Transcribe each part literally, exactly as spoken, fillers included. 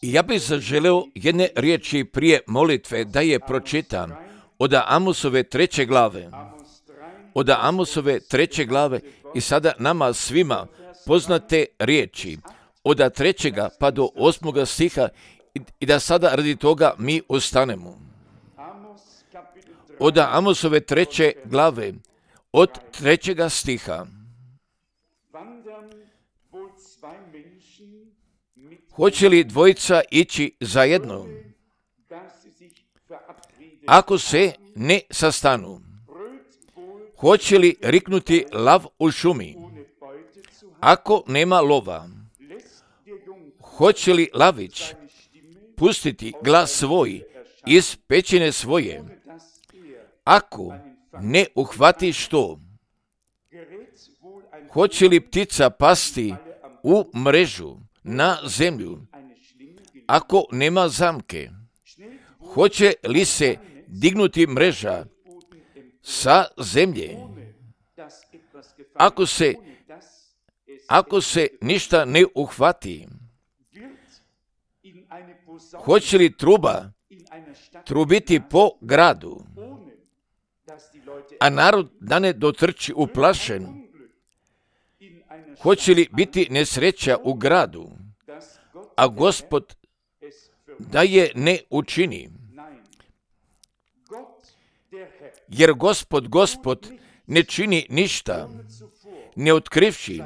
I ja bih zaželeo jedne riječi prije molitve da je pročitam od Amosove treće glave. Od Amosove treće glave i sada nama svima poznate riječi. Od trećega pa do osmoga stiha i da sada radi toga mi ostanemo. Od Amosove treće glave, od trećega stiha. Hoće li dvojica ići zajedno, ako se ne sastanu? Hoće li riknuti lav u šumi, ako nema lova? Hoće li lavić pustiti glas svoj iz pećine svoje, ako ne uhvati što? Hoće li ptica pasti u mrežu na zemlju, ako nema zamke? Hoće li se dignuti mreža sa zemlje, ako se, ako se ništa ne uhvati? Hoće li truba trubiti po gradu, a narod da ne dotrči uplašen? Hoće li biti nesreća u gradu, a Gospod da je ne učini? Jer Gospod, Gospod ne čini ništa, ne otkrivši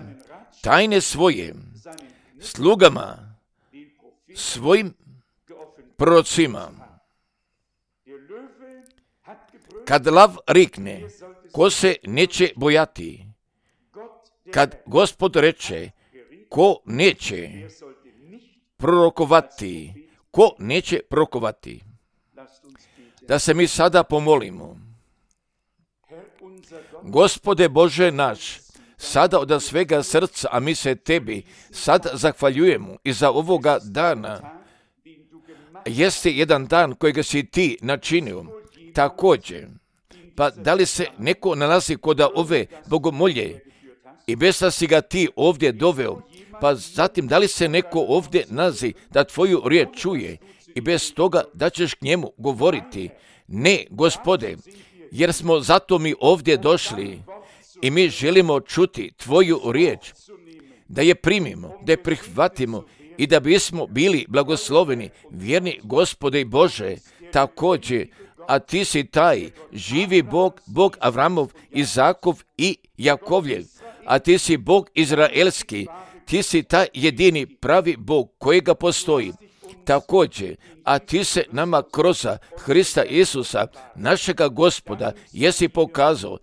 tajne svoje slugama, svojim prorocima. Kad lav rikne, ko se neće bojati? Kad Gospod reče, ko neće prorokovati? Ko neće prorokovati? Da se mi sada pomolimo. Gospode Bože naš, sada od svega srca, a mi se Tebi sad zahvaljujemo i za ovoga dana. Jeste jedan dan kojega si Ti načinio, također. Pa da li se neko nalazi kod ove bogomolje i bez da si ga Ti ovdje doveo, pa zatim da li se neko ovdje nalazi da Tvoju riječ čuje i bez toga da ćeš k njemu govoriti? Ne, Gospode, jer smo zato mi ovdje došli i mi želimo čuti Tvoju riječ, da je primimo, da je prihvatimo i da bismo bili blagosloveni, vjerni Gospode i Bože, također, a Ti si taj živi Bog, Bog Avramov, Izakov i Jakovljev, a Ti si Bog Izraelski, Ti si taj jedini pravi Bog kojega postoji. Također, a Ti se nama kroz Hrista Isusa, našega Gospoda, jesi pokazao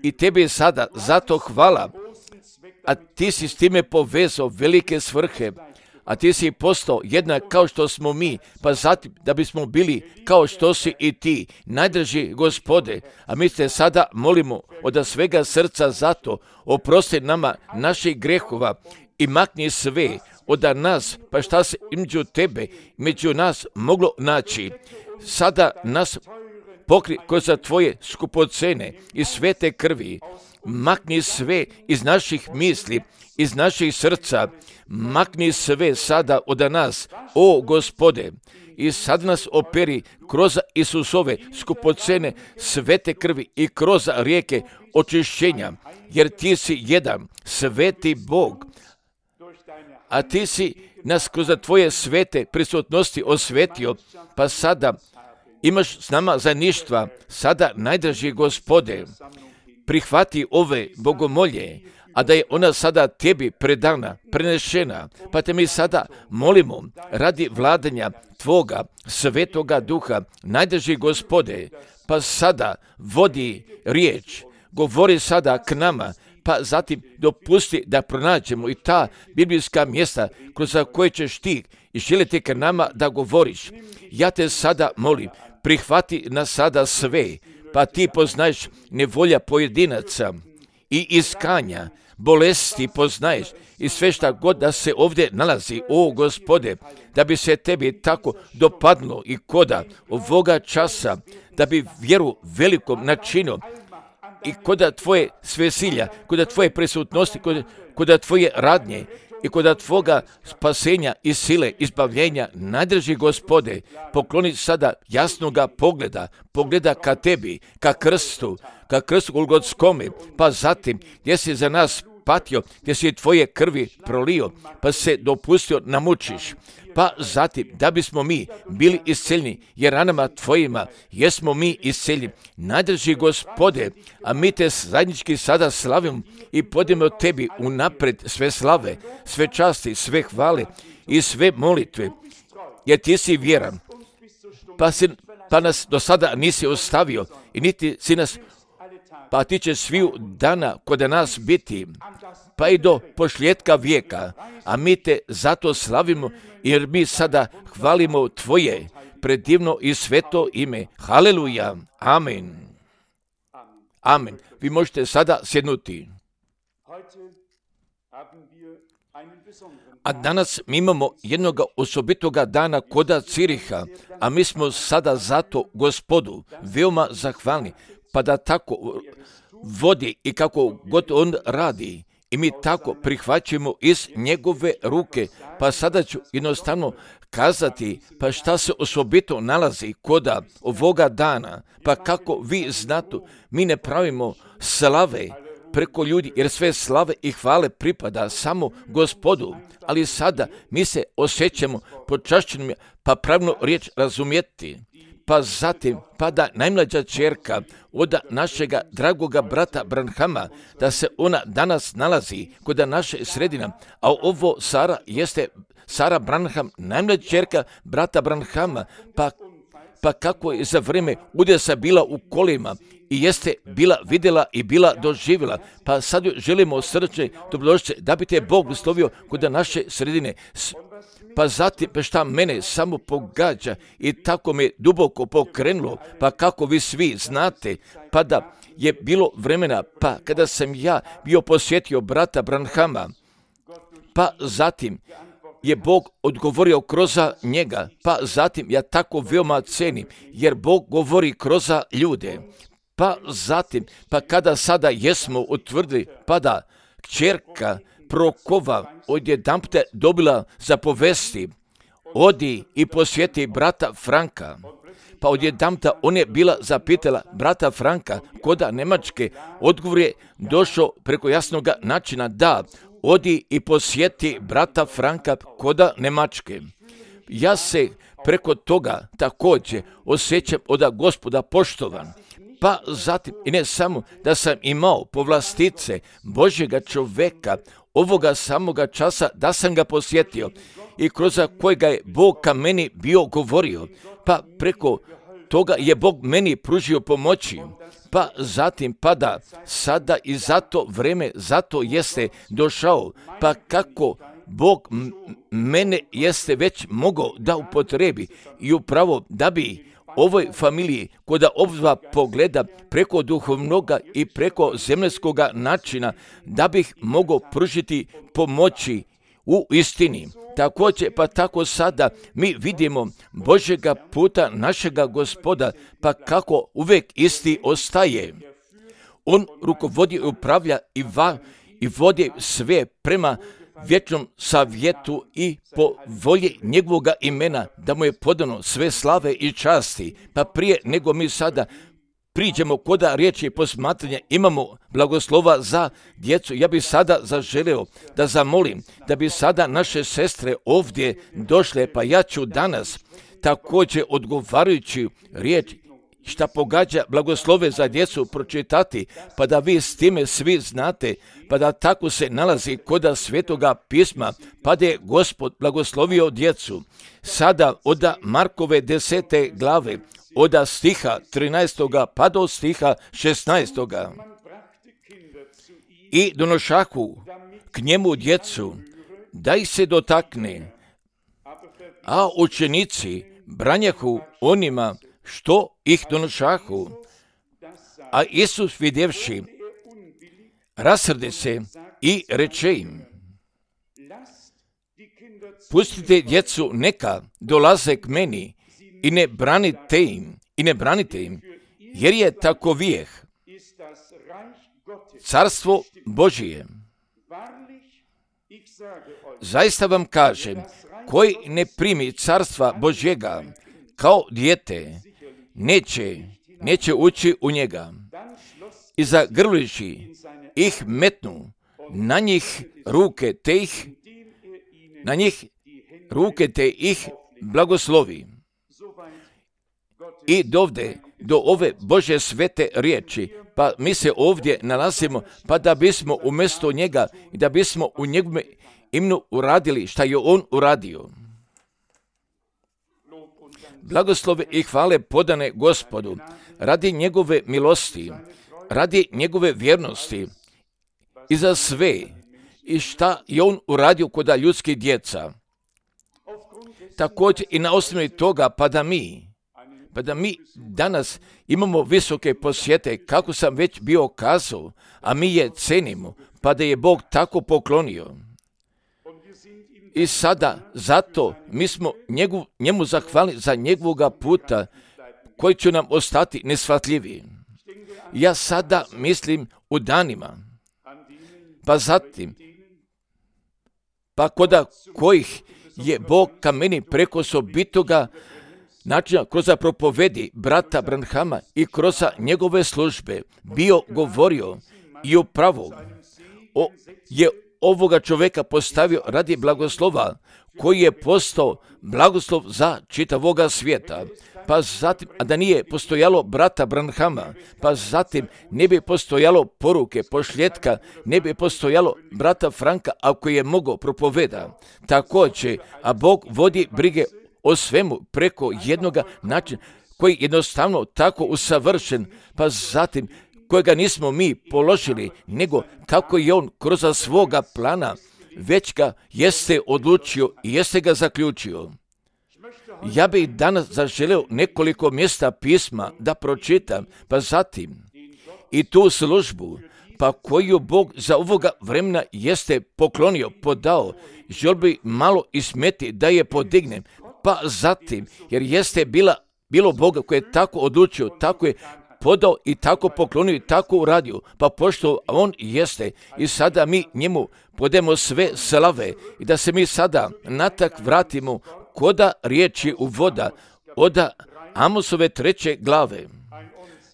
i Tebi sada zato hvala, a Ti si s time povezao velike svrhe, a Ti si postao jednak kao što smo mi, pa zatim da bismo bili kao što si i Ti, najdraži Gospode, a mi te sada molimo od svega srca zato, oprosti nama naših grehova i makni sve od nas, pa šta se među Tebe, među nas moglo naći. Sada nas pokri kroz Tvoje skupocene i svete krvi, makni sve iz naših misli, iz naših srca, makni sve sada od nas, o Gospode, i sad nas operi kroz Isusove skupocene svete krvi i kroz rijeke očišćenja, jer Ti si jedan sveti Bog, a Ti si nas kroz Tvoje svete prisutnosti osvetio, pa sada imaš s nama zajedništva, sada najdraži Gospode, prihvati ove bogomolje, a da je ona sada Tebi predana, prenešena, pa te mi sada molimo radi vladanja Tvoga svetoga duha, najdraži Gospode, pa sada vodi riječ, govori sada k nama, pa zatim dopusti da pronađemo i ta biblijska mjesta kroz koje ćeš Ti i želiti k nama da govoriš. Ja te sada molim, prihvati nas sada sve, pa Ti poznaješ nevolja pojedinaca i iskanja, bolesti poznaješ i sve šta god da se ovdje nalazi, o Gospode, da bi se Tebi tako dopadlo i koda ovoga časa, da bi vjeru velikom načinio i koda Tvoje svesilja, koda Tvoje prisutnosti, koda, koda Tvoje radnje i kod Tvoga spasenja i sile, izbavljenja, najdrži Gospode, pokloni sada jasnoga pogleda, pogleda ka Tebi, ka krstu, ka krstu Golgotskome, pa zatim gdje si za nas patio, gdje si Tvoje krvi prolio, pa se dopustio namučiš, pa zatim da bismo mi bili isceljeni, jer ranama Tvojima jesmo mi isceljeni. Najdrži Gospode, a mi Te zajednički sada slavimo i podijemo Tebi unaprijed sve slave, sve časti, sve hvale i sve molitve, jer Ti si vjeran, pa, si, pa nas do sada nisi ostavio i niti si nas, pa Ti će sviju dana kod nas biti, pa i do pošljetka vijeka, a mi Te zato slavimo, jer mi sada hvalimo Tvoje predivno i sveto ime. Haleluja, amen. Amen. Vi možete sada sjednuti. A danas mi imamo jednog osobitoga dana koda Ciriha, a mi smo sada zato Gospodu veoma zahvalni, pa da tako vodi i kako god on radi. I mi tako prihvaćamo iz njegove ruke, pa sada ću jednostavno kazati, pa šta se osobito nalazi koda ovoga dana, pa kako vi znate, mi ne pravimo slave preko ljudi, jer sve slave i hvale pripada samo Gospodu, ali sada mi se osjećamo počašćenim, pa pravno riječ razumjeti. Pa zatim, pa da najmlađa ćerka od našega dragoga brata Branhama, da se ona danas nalazi kod naše sredina, a ovo Sara jeste Sara Branham, najmlađa ćerka brata Branhama, pa, pa kako je za vrijeme udesa bila u kolima i jeste bila vidjela i bila doživjela, pa sad želimo srce dobrodošće da bi te Bog blagoslovio kod naše sredine. Pa zatim, pa šta mene samo pogađa i tako me duboko pokrenulo, pa kako vi svi znate, pa da je bilo vremena, pa kada sam ja bio posjetio brata Branhama, pa zatim je Bog odgovorio kroz njega, pa zatim ja tako veoma cenim, jer Bog govori kroz ljude. Pa zatim, pa kada sada jesmo utvrdili, pa da kćerka Prokova odjedanput dobila za povesti, odi i posjeti brata Franka. Pa odjedanput on je bila zapitala brata Franka koda Njemačke, odgovor je došao preko jasnog načina, da, odi i posjeti brata Franka koda Njemačke. Ja se preko toga također osjećam od Gospoda poštovan. Pa zatim, i ne samo da sam imao povlastice Božjega čoveka, ovoga samoga časa da sam ga posjetio i kroz kojega je Bog ka meni bio govorio, pa preko toga je Bog meni pružio pomoći, pa zatim pada sada i zato vreme, zato jeste došao, pa kako Bog m- mene jeste već mogao da upotrebi i upravo da bi ovoj familiji koda obzva pogleda preko duhovnoga i preko zemljskoga načina, da bih mogao pružiti pomoći u istini. Također, pa tako sada mi vidimo Božjega puta našega Gospoda, pa kako uvijek isti ostaje. On rukovodi i upravlja i, va, i vodi sve prema vječnom savjetu i po volji njegovoga imena, da mu je podano sve slave i časti. Pa prije nego mi sada priđemo koda riječi posmatranja, imamo blagoslova za djecu. Ja bih sada zaželio da zamolim da bi sada naše sestre ovdje došle, pa ja ću danas također odgovarajući riječ šta pogađa blagoslove za djecu pročitati, pa da vi s time svi znate, pa da tako se nalazi koda Svetoga pisma, pa da je Gospod blagoslovio djecu. Sada od Markove desete glave, od stiha trinaestoga pa do stiha šesnaestoga. I donošahu k njemu djecu, da ih se dotakne, a učenici branjahu onima što ih donošahu. A Isus vidjevši, rasrde se i reče im, pustite djecu neka dolaze k meni i ne branite im, i ne branite im, jer je takovijeh carstvo Božije. Zaista vam kažem, koji ne primi carstva Božjega kao dijete, neće, neće ući u njega. I zagrliši ih metnu, na njih ruke te ih, na njih ruke te ih blagoslovi. I dovde, do ove Božje svete riječi, pa mi se ovdje nalazimo, pa da bismo umjesto njega i da bismo u njegovom imenu uradili šta je on uradio. Blagoslove i hvale podane Gospodu, radi njegove milosti, radi njegove vjernosti i za sve i šta je on uradio kod ljudskih djeca. Također i na osnovi toga, pa da mi, pa da mi danas imamo visoke posjete, kako sam već bio kazao, a mi je cenimo, pa da je Bog tako poklonio. I sada, zato mi smo njegu, njemu zahvalni za njegovoga puta, koji će nam ostati neshvatljivi. Ja sada mislim u danima, pa zatim, pa koda kojih je Bog ka meni preko osobitoga načina kroz propovedi brata Branhama i kroz njegove službe bio govorio i upravo o, je ovoga čovjeka postavio radi blagoslova koji je postao blagoslov za čitavoga svijeta. Pa zatim, a da nije postojalo brata Branhama, pa zatim ne bi postojalo poruke, pošljetka, ne bi postojalo brata Franka ako je mogao propoveda. Također, a Bog vodi brige o svemu preko jednoga načina koji jednostavno tako usavršen, pa zatim kojega nismo mi položili, nego kako je on kroz svoga plana već ga jeste odlučio i jeste ga zaključio. Ja bih danas zaželeo nekoliko mjesta pisma da pročitam, pa zatim i tu službu, pa koju Bog za ovoga vremena jeste poklonio, podao, žel bi malo ismeti da je podignem, pa zatim, jer jeste bila, bilo Boga koji je tako odlučio, tako je podao i tako poklonio i tako uradio, pa pošto on jeste i sada mi njemu podemo sve slave i da se mi sada natak vratimo koda riječi u voda od Amosove treće glave.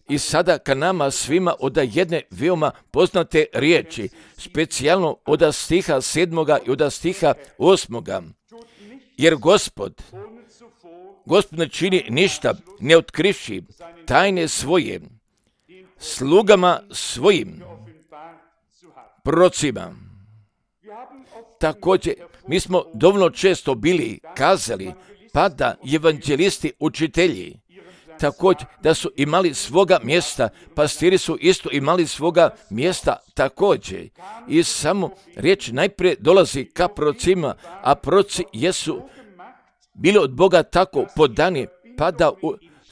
I sada ka nama svima od jedne veoma poznate riječi, specijalno od stiha sedmoga i od stiha osmoga. Jer Gospod, Gospod ne čini ništa, ne otkrivši tajne svoje slugama svojim prorocima. Također, mi smo dovoljno često bili kazali, pa da evanđelisti, učitelji, također da su imali svoga mjesta, pastiri su isto imali svoga mjesta također. I samo riječ najprije dolazi ka prorocima, a proroci jesu bili od Boga tako podani, pa da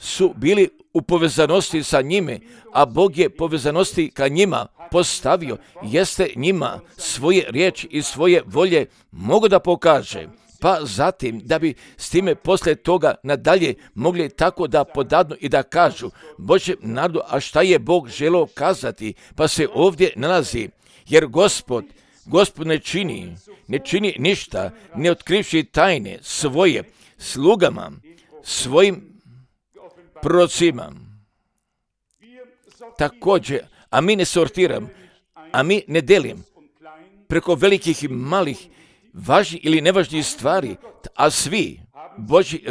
su bili u povezanosti sa njime, a Bog je povezanosti ka njima postavio, jeste njima svoje riječi i svoje volje mogu da pokaže. Pa zatim, da bi s time poslije toga nadalje mogli tako da podadnu i da kažu, Bože narodu, a šta je Bog želeo kazati, pa se ovdje nalazi, jer Gospod, Gospod ne čini, ne čini ništa, ne otkrivši tajne svoje slugama, svojim prorocima. Također, a mi ne sortiram, a mi ne delim preko velikih i malih, važnih ili nevažnih stvari, a svi Božji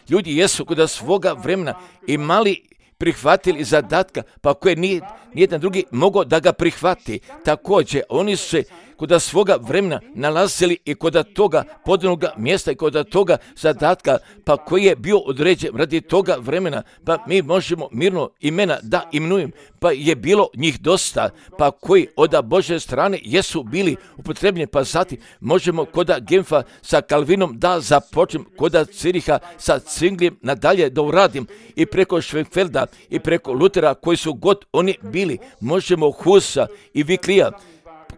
ljudi jesu kod svoga vremena imali prihvatili zadatka, pa koje nije nijedan drugi mogao da ga prihvati. Također, oni su se kod svoga vremena nalazili i kod toga podanog mjesta i kod toga zadatka, pa koji je bio određen radi toga vremena, pa mi možemo mirno imena da imenujem, pa je bilo njih dosta, pa koji od Božje strane jesu bili upotrebljeni, pa zatim možemo kod Genfa sa Kalvinom da započnem, kod Ciriha sa Zwinglijem nadalje da uradim i preko Schwenkfelda i preko Lutera koji su god oni bili, možemo Husa i Viklija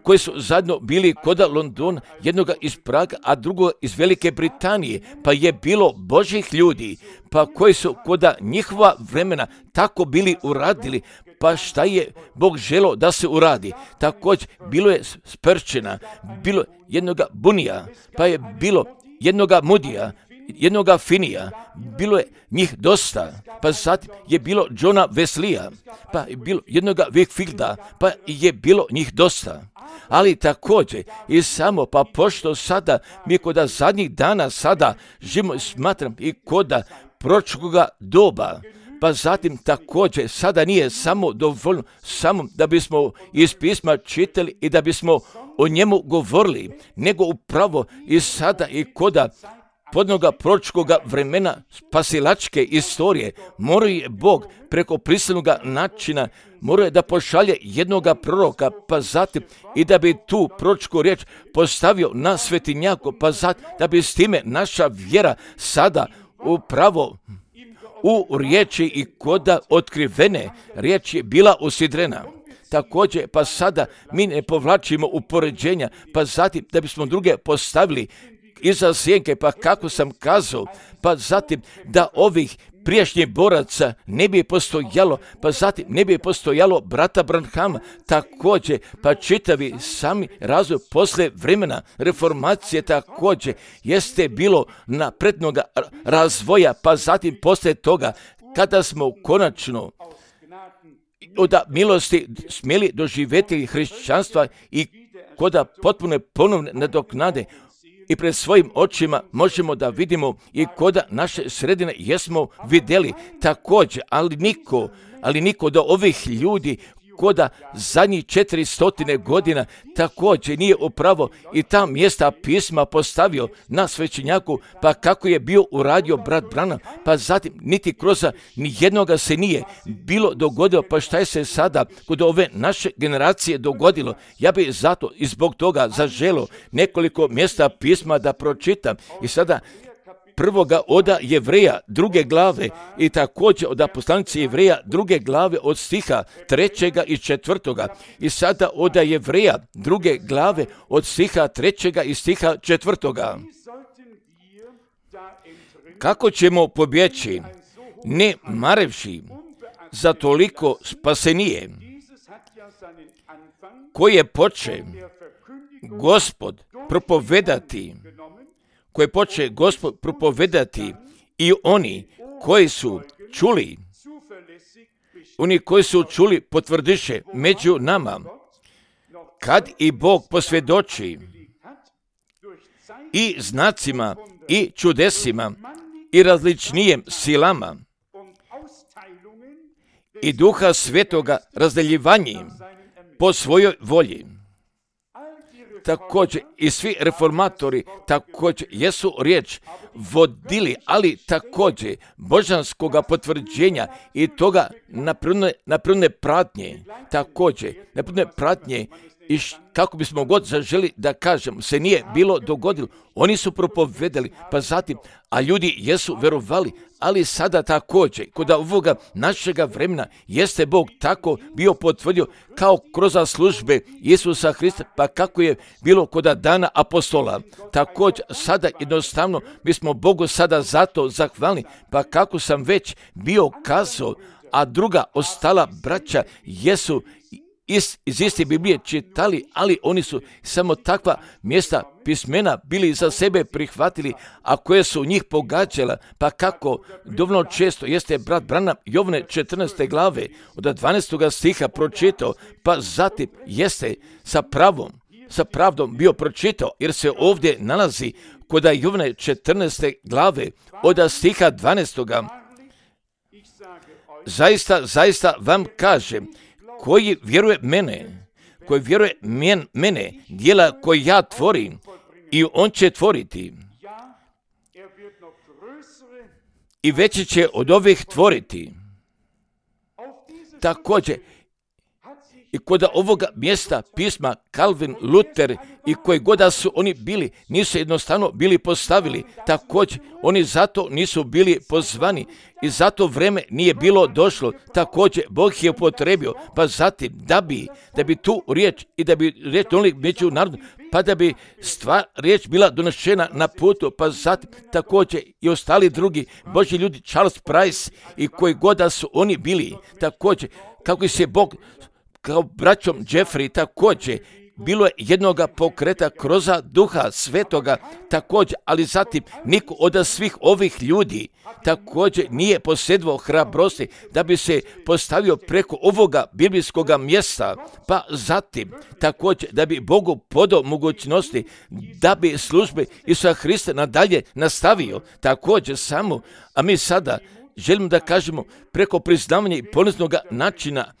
koji su zajedno bili kod Londona, jednoga iz Praga, a drugoga iz Velike Britanije, pa je bilo Božjih ljudi, pa koji su kod njihova vremena tako bili uradili, pa šta je Bog želio da se uradi? Također, bilo je Sprčena, bilo jednoga Bunija, pa je bilo jednoga Mudija, jednoga Finija, bilo je njih dosta, pa zatim je bilo Johna Wesleya, pa je bilo jednoga Whitfielda, pa je bilo njih dosta. Ali također i samo pa pošto sada mi koda zadnjih dana sada živimo, smatram i koda proročkoga doba, pa zatim također sada nije samo dovoljno samo da bismo iz pisma čitali i da bismo o njemu govorili, nego upravo i sada i koda podnoga proročkoga vremena spasilačke istorije mora je Bog preko prisilnoga načina mora da pošalje jednoga proroka, pa zatim i da bi tu proročku riječ postavio na svetinjaku, pa zatim da bi s time naša vjera sada upravo u riječi i koda otkrivene riječ je bila usidrena. Također, pa sada mi ne povlačimo upoređenja, pa zatim da bismo druge postavili iza sjenke, pa kako sam kazao, pa zatim da ovih prijašnjih boraca ne bi postojalo, pa zatim ne bi postojalo brata Branhama, također, pa čitavi sami razvoj posle vremena reformacije također jeste bilo naprednoga razvoja, pa zatim posle toga kada smo konačno od milosti smjeli doživjeti hrišćanstva i koda potpune ponovne nadoknade i pred svojim očima možemo da vidimo i koda naše sredine jesmo vidjeli također, ali niko, ali niko do ovih ljudi koda zadnjih četiri stotine godina također nije upravo i ta mjesta pisma postavio na svećenjaku, pa kako je bio uradio brat Branham, pa zatim niti kroz ni jednoga se nije bilo dogodilo, pa šta je se sada kod ove naše generacije dogodilo. Ja bih zato i zbog toga zaželio nekoliko mjesta pisma da pročitam i sada prvoga oda Jevreja druge glave i također od poslanice Jevreja druge glave od stiha trećega i četvrtoga i sada od Jevreja druge glave od stiha trećega i stiha četvrtoga. Kako ćemo pobjeći, ne marevši za toliko spasenije, koje poče Gospod propovedati, koje poče Gospod propovedati i oni koji su čuli, oni koji su čuli potvrdiše među nama, kad i Bog posvjedoči i znacima i čudesima i različnijem silama i Duha Svetoga razdeljivanjem po svojoj volji. Također i svi reformatori također jesu riječ vodili, ali također božanskoga potvrđenja i toga napredne pratnje, također napredne pratnje i š, kako bismo god zaželi da kažem, se nije bilo dogodilo. Oni su propovedali, pa zatim, a ljudi jesu verovali, ali sada također, kod ovoga našega vremena, jeste Bog tako bio potvrdio kao kroz službe Isusa Hrista, pa kako je bilo kod dana apostola. Također, sada jednostavno, mi smo Bogu sada zato zahvalni, pa kako sam već bio kazao, a druga ostala braća jesu iz, iz iste Biblije čitali, ali oni su samo takva mjesta pismena bili za sebe prihvatili, a koje su njih pogađala, pa kako dovoljno često jeste brat Branham Jovne četrnaeste glave od dvanaestoga stiha pročitao, pa zatim jeste sa pravom, sa pravdom bio pročitao, jer se ovdje nalazi kod Jovne četrnaeste glave od stiha dvanaestoga. Zaista, zaista vam kažem, koji vjeruje mene, koji vjeruje men, mene, djela koje ja tvorim, i on će tvoriti. I veće će od ovih tvoriti. Također, I kod ovoga mjesta pisma Calvin, Luther i koji god da su oni bili, nisu jednostavno bili postavili. Također, oni zato nisu bili pozvani i zato vreme nije bilo došlo. Također, Bog je upotrebio, pa zatim da bi, da bi tu riječ i da bi riječ donijeli među narodom, pa da bi stvar, riječ bila donošena na putu, pa zatim također i ostali drugi Božji ljudi, Charles Price i koji god da su oni bili, također, kako se Bog kao braćom Jeffrey također, bilo je jednoga pokreta kroz Duha Svetoga također, ali zatim niko od svih ovih ljudi također nije posjedovao hrabrosti da bi se postavio preko ovoga biblijskoga mjesta, pa zatim također da bi Bogu podao mogućnosti da bi službe Isusa Hrista nadalje nastavio također samo, a mi sada želimo da kažemo preko priznavanja i poniznog načina,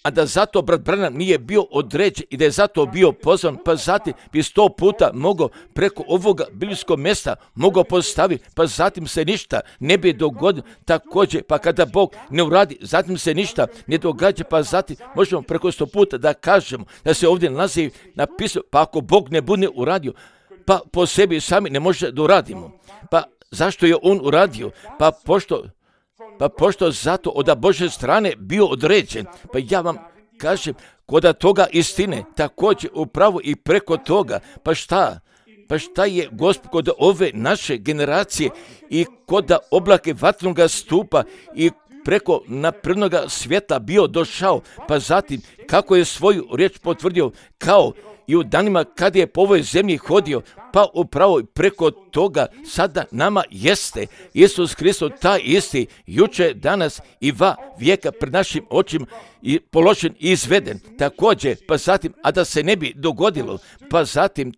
a da zato brat Branham nije bio određen i da je zato bio pozvan, pa zatim bi sto puta mogao preko ovoga biblijskog mjesta mogao postaviti, pa zatim se ništa ne bi dogodilo također, pa kada Bog ne uradi, zatim se ništa ne događa, pa zatim možemo preko sto puta da kažemo da se ovdje nalazi napisano, pa ako Bog ne bude uradio, pa po sebi sami ne može da uradimo. Pa zašto je on uradio? Pa pošto Pa pošto zato od Božje strane bio određen, pa ja vam kažem, kod toga istine, također upravo i preko toga, pa šta? Pa šta je Gospod kod ove naše generacije i kod oblake vatnoga stupa i preko naprednoga svijeta bio došao, pa zatim kako je svoju riječ potvrdio kao i u danima kad je po ovoj zemlji hodio, pa upravo preko toga sada nama jeste Isus Hristos taj isti, juče, danas i va vijeka pred našim očima i položen i izveden. Također, pa zatim, a da se ne bi dogodilo, pa zatim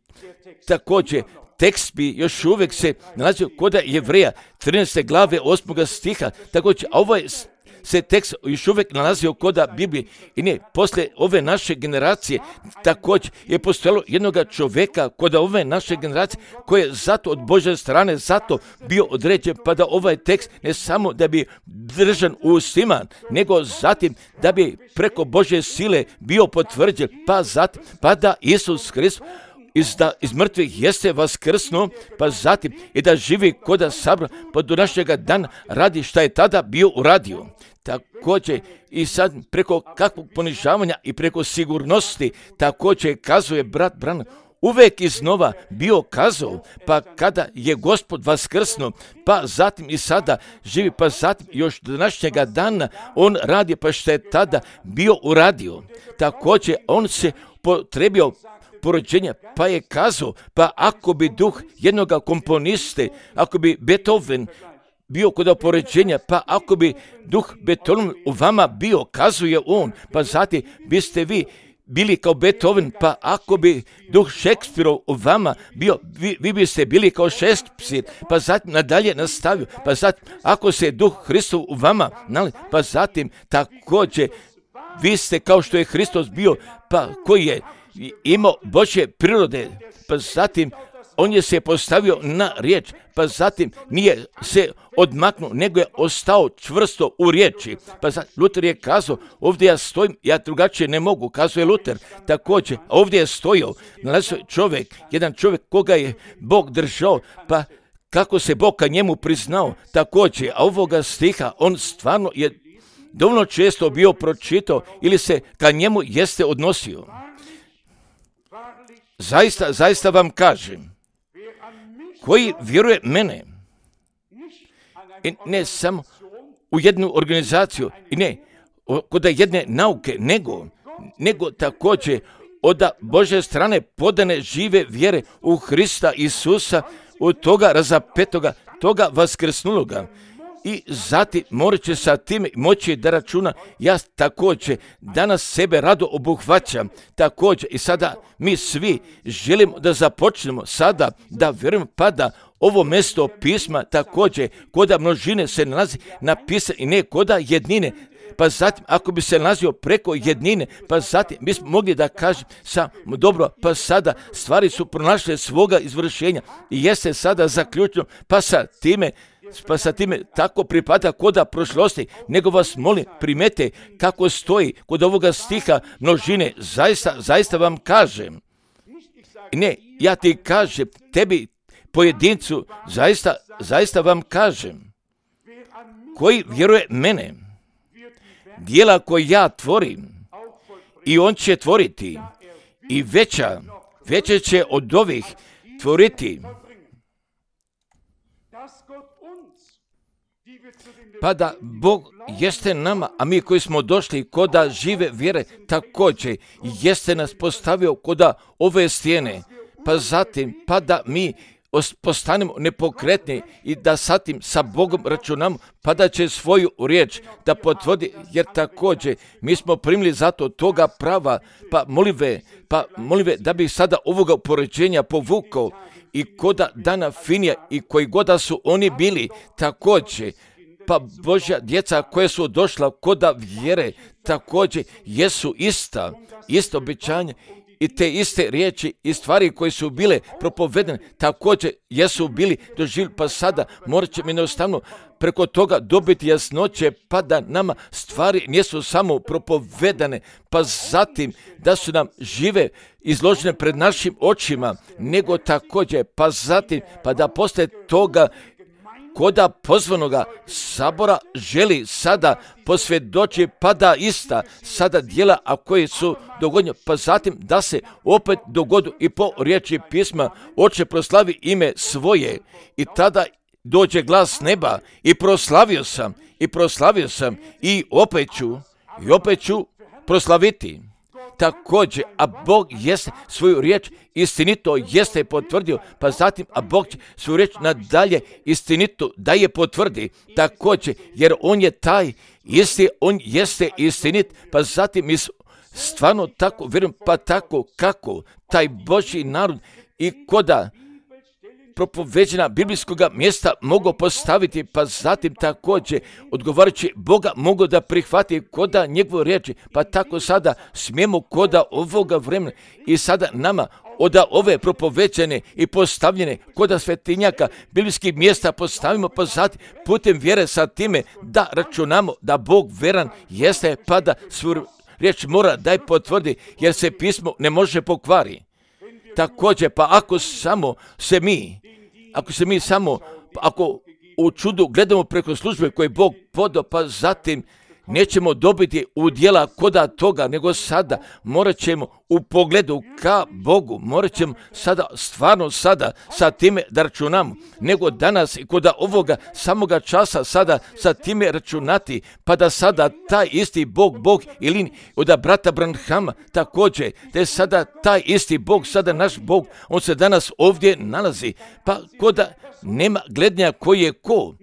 također tekst bi još uvijek se nalazio kod Jevreja trinaeste glave osmog stiha, također, a ovo je se tekst još uvijek nalazio kod Biblije i ne, poslije ove naše generacije također je postojalo jednog čovjeka kod ove naše generacije koji je zato od Božje strane zato bio određen, pa da ovaj tekst ne samo da bi držan u ustima, nego zatim da bi preko Božje sile bio potvrđen, pa zatim, pa da Isus Hristos iz, da, iz mrtvih jeste vaskrsnuo, pa zatim i da živi kod sabra, pa do našega dana radi šta je tada bio uradio. Također i sad preko kakvog ponižavanja i preko sigurnosti također kazuje brat Branham, uvijek iznova bio kazao, pa kada je Gospod vaskrsnuo, pa zatim i sada živi, pa zatim još do današnjega dana on radi, pa što je tada bio uradio. Također on se potrebio porođenja, pa je kazao, pa ako bi duh jednoga komponiste, ako bi Beethoven bio kod opoređenja, pa ako bi duh Beethoven u vama bio, kazuje on, pa zatim biste vi bili kao Beethoven, pa ako bi duh Šekspirov u vama bio, vi, vi biste bili kao Šekspir, pa zatim nadalje nastavio, pa zatim ako se duh Hristov u vama, pa zatim također vi ste kao što je Hristos bio, pa koji je imao Božje prirode, pa zatim on je se postavio na riječ, pa zatim nije se odmaknuo, nego je ostao čvrsto u riječi. Pa zatim Luther je kazao, ovdje ja stojim, ja drugačije ne mogu, kazuje Luther. Također, ovdje je stojao, nalazio čovjek, jedan čovjek koga je Bog držao, pa kako se Bog ka njemu priznao, također, a ovoga stiha, on stvarno je dovoljno često bio pročitao ili se ka njemu jeste odnosio. Zaista, zaista vam kažem, koji vjeruje mene, i ne samo u jednu organizaciju, i ne kod jedne nauke, nego, nego također od Božje strane podane žive vjere u Hrista Isusa, u toga razapetoga, toga vaskrsnuloga. I zatim morat će sa tim moći da računa, ja također danas sebe rado obuhvaćam, također i sada mi svi želimo da započnemo sada da vjerujemo, pa da ovo mjesto pisma također koda množine se nalazi napisano i ne koda jednine, pa zatim ako bi se nalazio preko jednine, pa zatim mi smo mogli da kažem sam, dobro, pa sada stvari su pronašle svoga izvršenja i jeste sada zaključeno, pa sa time pa sa time tako pripada koda prošlosti, nego vas molim, primete kako stoji kod ovoga stiha množine, zaista, zaista vam kažem, ne, ja ti kažem, tebi pojedincu, zaista, zaista vam kažem, koji vjeruje mene, djela koje ja tvorim, i on će tvoriti, i veća, veće će od ovih tvoriti, pa da Bog jeste nama, a mi koji smo došli koda žive vjere, također jeste nas postavio koda ove stijene, pa zatim, pa da mi postanemo nepokretni i da satim sa Bogom računamo, pa da će svoju riječ da potvrdi, jer također mi smo primili zato toga prava, pa molive, pa molive da bi sada ovoga upoređenja povukao i koda dana Finija i koji goda su oni bili, također, pa Božja djeca koja su došla koda vjere, također jesu ista, isto obećanje, i te iste riječi i stvari koje su bile propovedene, također jesu bili doživjeli, pa sada morat ćemo jednostavno preko toga dobiti jasnoće, pa da nama stvari nisu samo propovedane, pa zatim da su nam žive izložene pred našim očima, nego također, pa zatim, pa da poslije toga koda pozvanoga sabora želi sada posvjedoči, pa da ista sada djela, a koje su dogodnje, pa zatim da se opet dogodu i po riječi pisma, Oče proslavi ime svoje, i tada dođe glas neba i proslavio sam, i proslavio sam, i opet ću, i opet ću proslaviti. Također, a Bog jeste svoju riječ istinito jeste potvrdio, pa zatim, a Bog će svoju riječ nadalje istinito da je potvrdi, također, jer On je taj isti, On jeste istinit, pa zatim mi stvarno tako vjerujem, pa tako kako taj Božji narod i koda propoveđena biblijskog mjesta mogu postaviti, pa zatim također odgovarajući Boga mogu da prihvati koda njegovu riječi, pa tako sada smijemo koda ovoga vremena i sada nama od ove propoveđene i postavljene koda svetinjaka biblijskih mjesta postavimo, pa zatim putem vjere sa time da računamo da Bog veran jeste, pa da svoju riječ mora da je potvrdi, jer se pismo ne može pokvari. Također, pa ako samo se mi, ako se mi samo, ako u čudu gledamo preko službe koje Bog podao, pa zatim nećemo dobiti udjela koda toga, nego sada morat ćemo u pogledu ka Bogu, morat ćemo sada, stvarno sada sa time da računamo, nego danas i koda ovoga samoga časa sada sa time računati, pa da sada taj isti Bog, Bog ili od brata Branhama također, da je sada taj isti Bog, sada naš Bog, on se danas ovdje nalazi, pa koda nema gledanja koji je ko,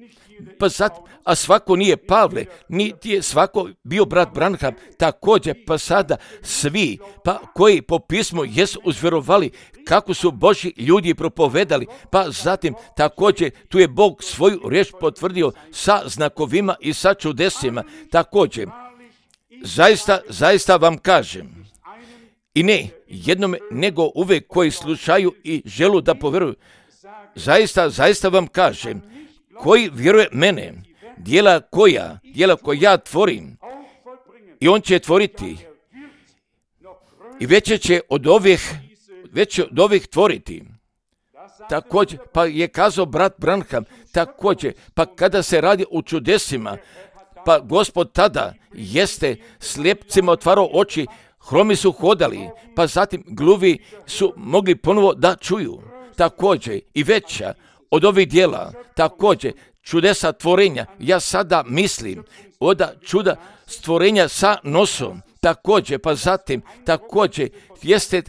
pa zatim, a svako nije Pavle, niti je svako bio brat Branham, također, pa sada svi, pa koji po pismu jesu uzvjerovali kako su Božji ljudi propovedali, pa zatim također tu je Bog svoju riječ potvrdio sa znakovima i sa čudesima, također, zaista, zaista vam kažem, i ne jednome, nego uvek koji slušaju i želu da povjeruju, zaista, zaista vam kažem, koji vjeruje mene, djela koja, djela koja ja tvorim, i on će tvoriti, i veće će od ovih, veće od ovih tvoriti. Također, pa je kazao brat Branham, također, pa kada se radi o čudesima, pa Gospod tada jeste slijepcima otvarao oči, hromi su hodali, pa zatim gluvi su mogli ponovo da čuju. Također, i veća od ovih djela, također, čudesa tvorenja, ja sada mislim, od čuda stvorenja sa nosom, također, pa zatim, također, jeste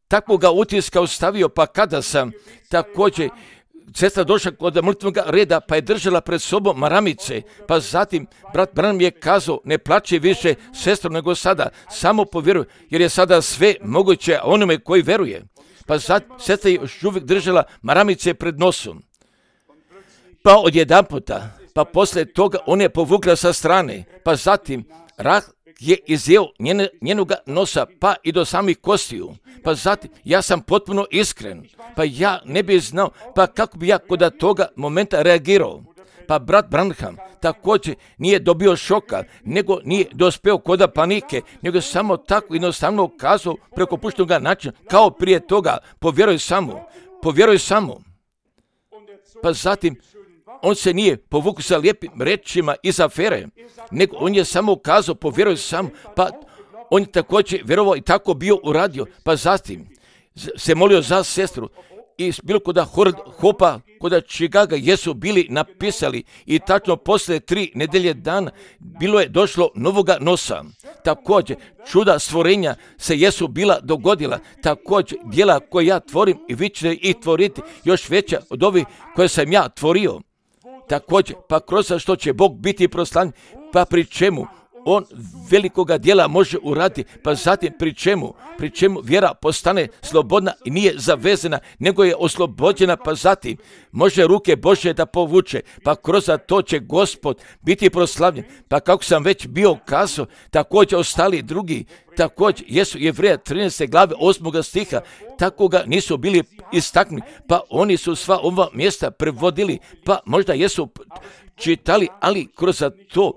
takvoga utiska ostavio, pa kada sam, također, sestra došla kod mrtvog reda, pa je držala pred sobom maramice, pa zatim, brat Branham je kazao, ne plači više sestro nego sada, samo povjeruj, jer je sada sve moguće onome koji veruje. Pa zatim, sestra je još uvijek držala maramice pred nosom. Pa odjedanputa, pa poslije toga on je povukla sa strane, pa zatim Rah je izjeo njene, njenoga nosa, pa i do samih kostiju. Pa zatim, ja sam potpuno iskren, pa ja ne bih znao, pa kako bi ja kod toga momenta reagirao. Pa brat Branham također nije dobio šoka, nego nije dospeo kod panike, nego samo tako jednostavno kazao preko puštenoga načina, kao prije toga, povjeruj samo, povjeruj samo. Pa zatim, on se nije povukao sa lijepim rečima iz afere, nego on je samo ukazao, povjeruj sam, pa on je također vjerovao i tako bio uradio, pa zatim se molio za sestru i bilo kod Hopa, kod Chicaga jesu bili napisali i tačno poslije tri nedelje dana bilo je došlo novoga nosa. Također, čuda stvorenja se jesu bila dogodila, također djela koje ja tvorim i vi ćete ih tvoriti još veća od ovih koje sam ja tvorio. Također, pa kroz što će Bog biti proslavljen, pa pri čemu on velikoga djela može uraditi, pa zatim pri čemu, pri čemu vjera postane slobodna i nije zavezana, nego je oslobođena, pa zatim može ruke Božje da povuče, pa kroz to će Gospod biti proslavljen. Pa kako sam već bio kazao, također ostali drugi, također jesu Jevreja trinaeste glave osmog stiha, tako ga nisu bili istaknuli, pa oni su sva ova mjesta prevodili, pa možda jesu čitali, ali kroz to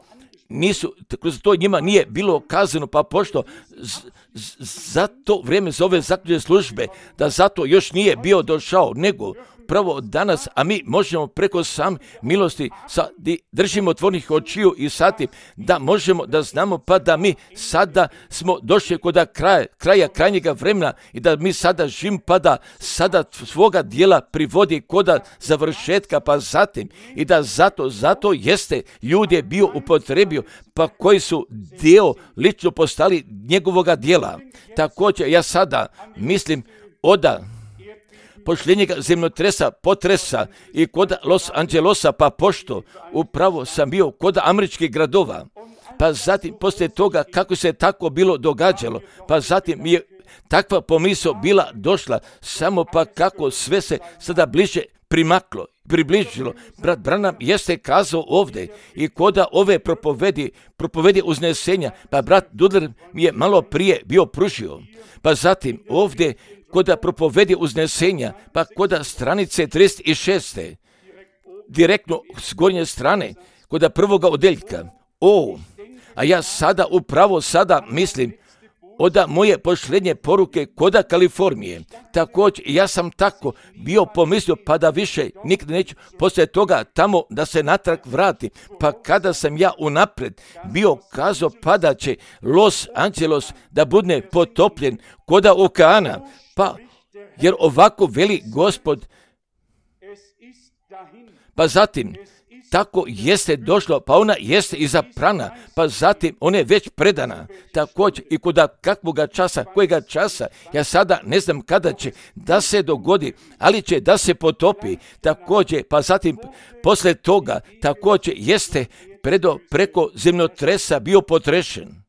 nisu, kroz to njima nije bilo kazano, pa pošto z, z, za to vrijeme za ove zaključne službe, da zato još nije bio došao, nego pravo danas, a mi možemo preko sam milosti sa, držimo otvornih očiju i sati, da možemo da znamo, pa da mi sada smo došli kod kraja, kraja krajnjega vremena i da mi sada živimo, pa da sada svoga dijela privodi kod završetka, pa zatim i da zato, zato jeste ljudi je bio upotrebio, pa koji su dio lično postali njegovoga dijela. Također ja sada mislim oda pošljenjega zemljotresa, potresa i kod Los Angelesa, pa pošto upravo sam bio kod američkih gradova, pa zatim poslije toga kako se tako bilo događalo, pa zatim je takva pomisao bila došla, samo pa kako sve se sada bliže primaklo, približilo. Brat Branham jeste kazao ovdje i koda ove propovedi, propovedi uznesenja, pa brat Dudler mi je malo prije bio pružio, pa zatim ovdje koda propovedi uznesenja, pa koda stranice trideset šest. Direktno s gornje strane, koda prvoga odeljka. O, a ja sada upravo sada mislim oda moje pošljenje poruke koda Kalifornije. Također, ja sam tako bio pomislio, pa da više nikad neću poslije toga tamo da se natrag vrati. Pa kada sam ja unaprijed bio kazao, pa da će Los Angeles da bude potopljen koda okeana, pa jer ovako veli Gospod, pa zatim tako jeste došlo, pa ona jeste izabrana, pa zatim ona je već predana. Također i kod kakvoga časa, kojega časa, ja sada ne znam kada će da se dogodi, ali će da se potopi. Također, pa zatim poslije toga, također jeste predo preko zemljotresa bio potrešen.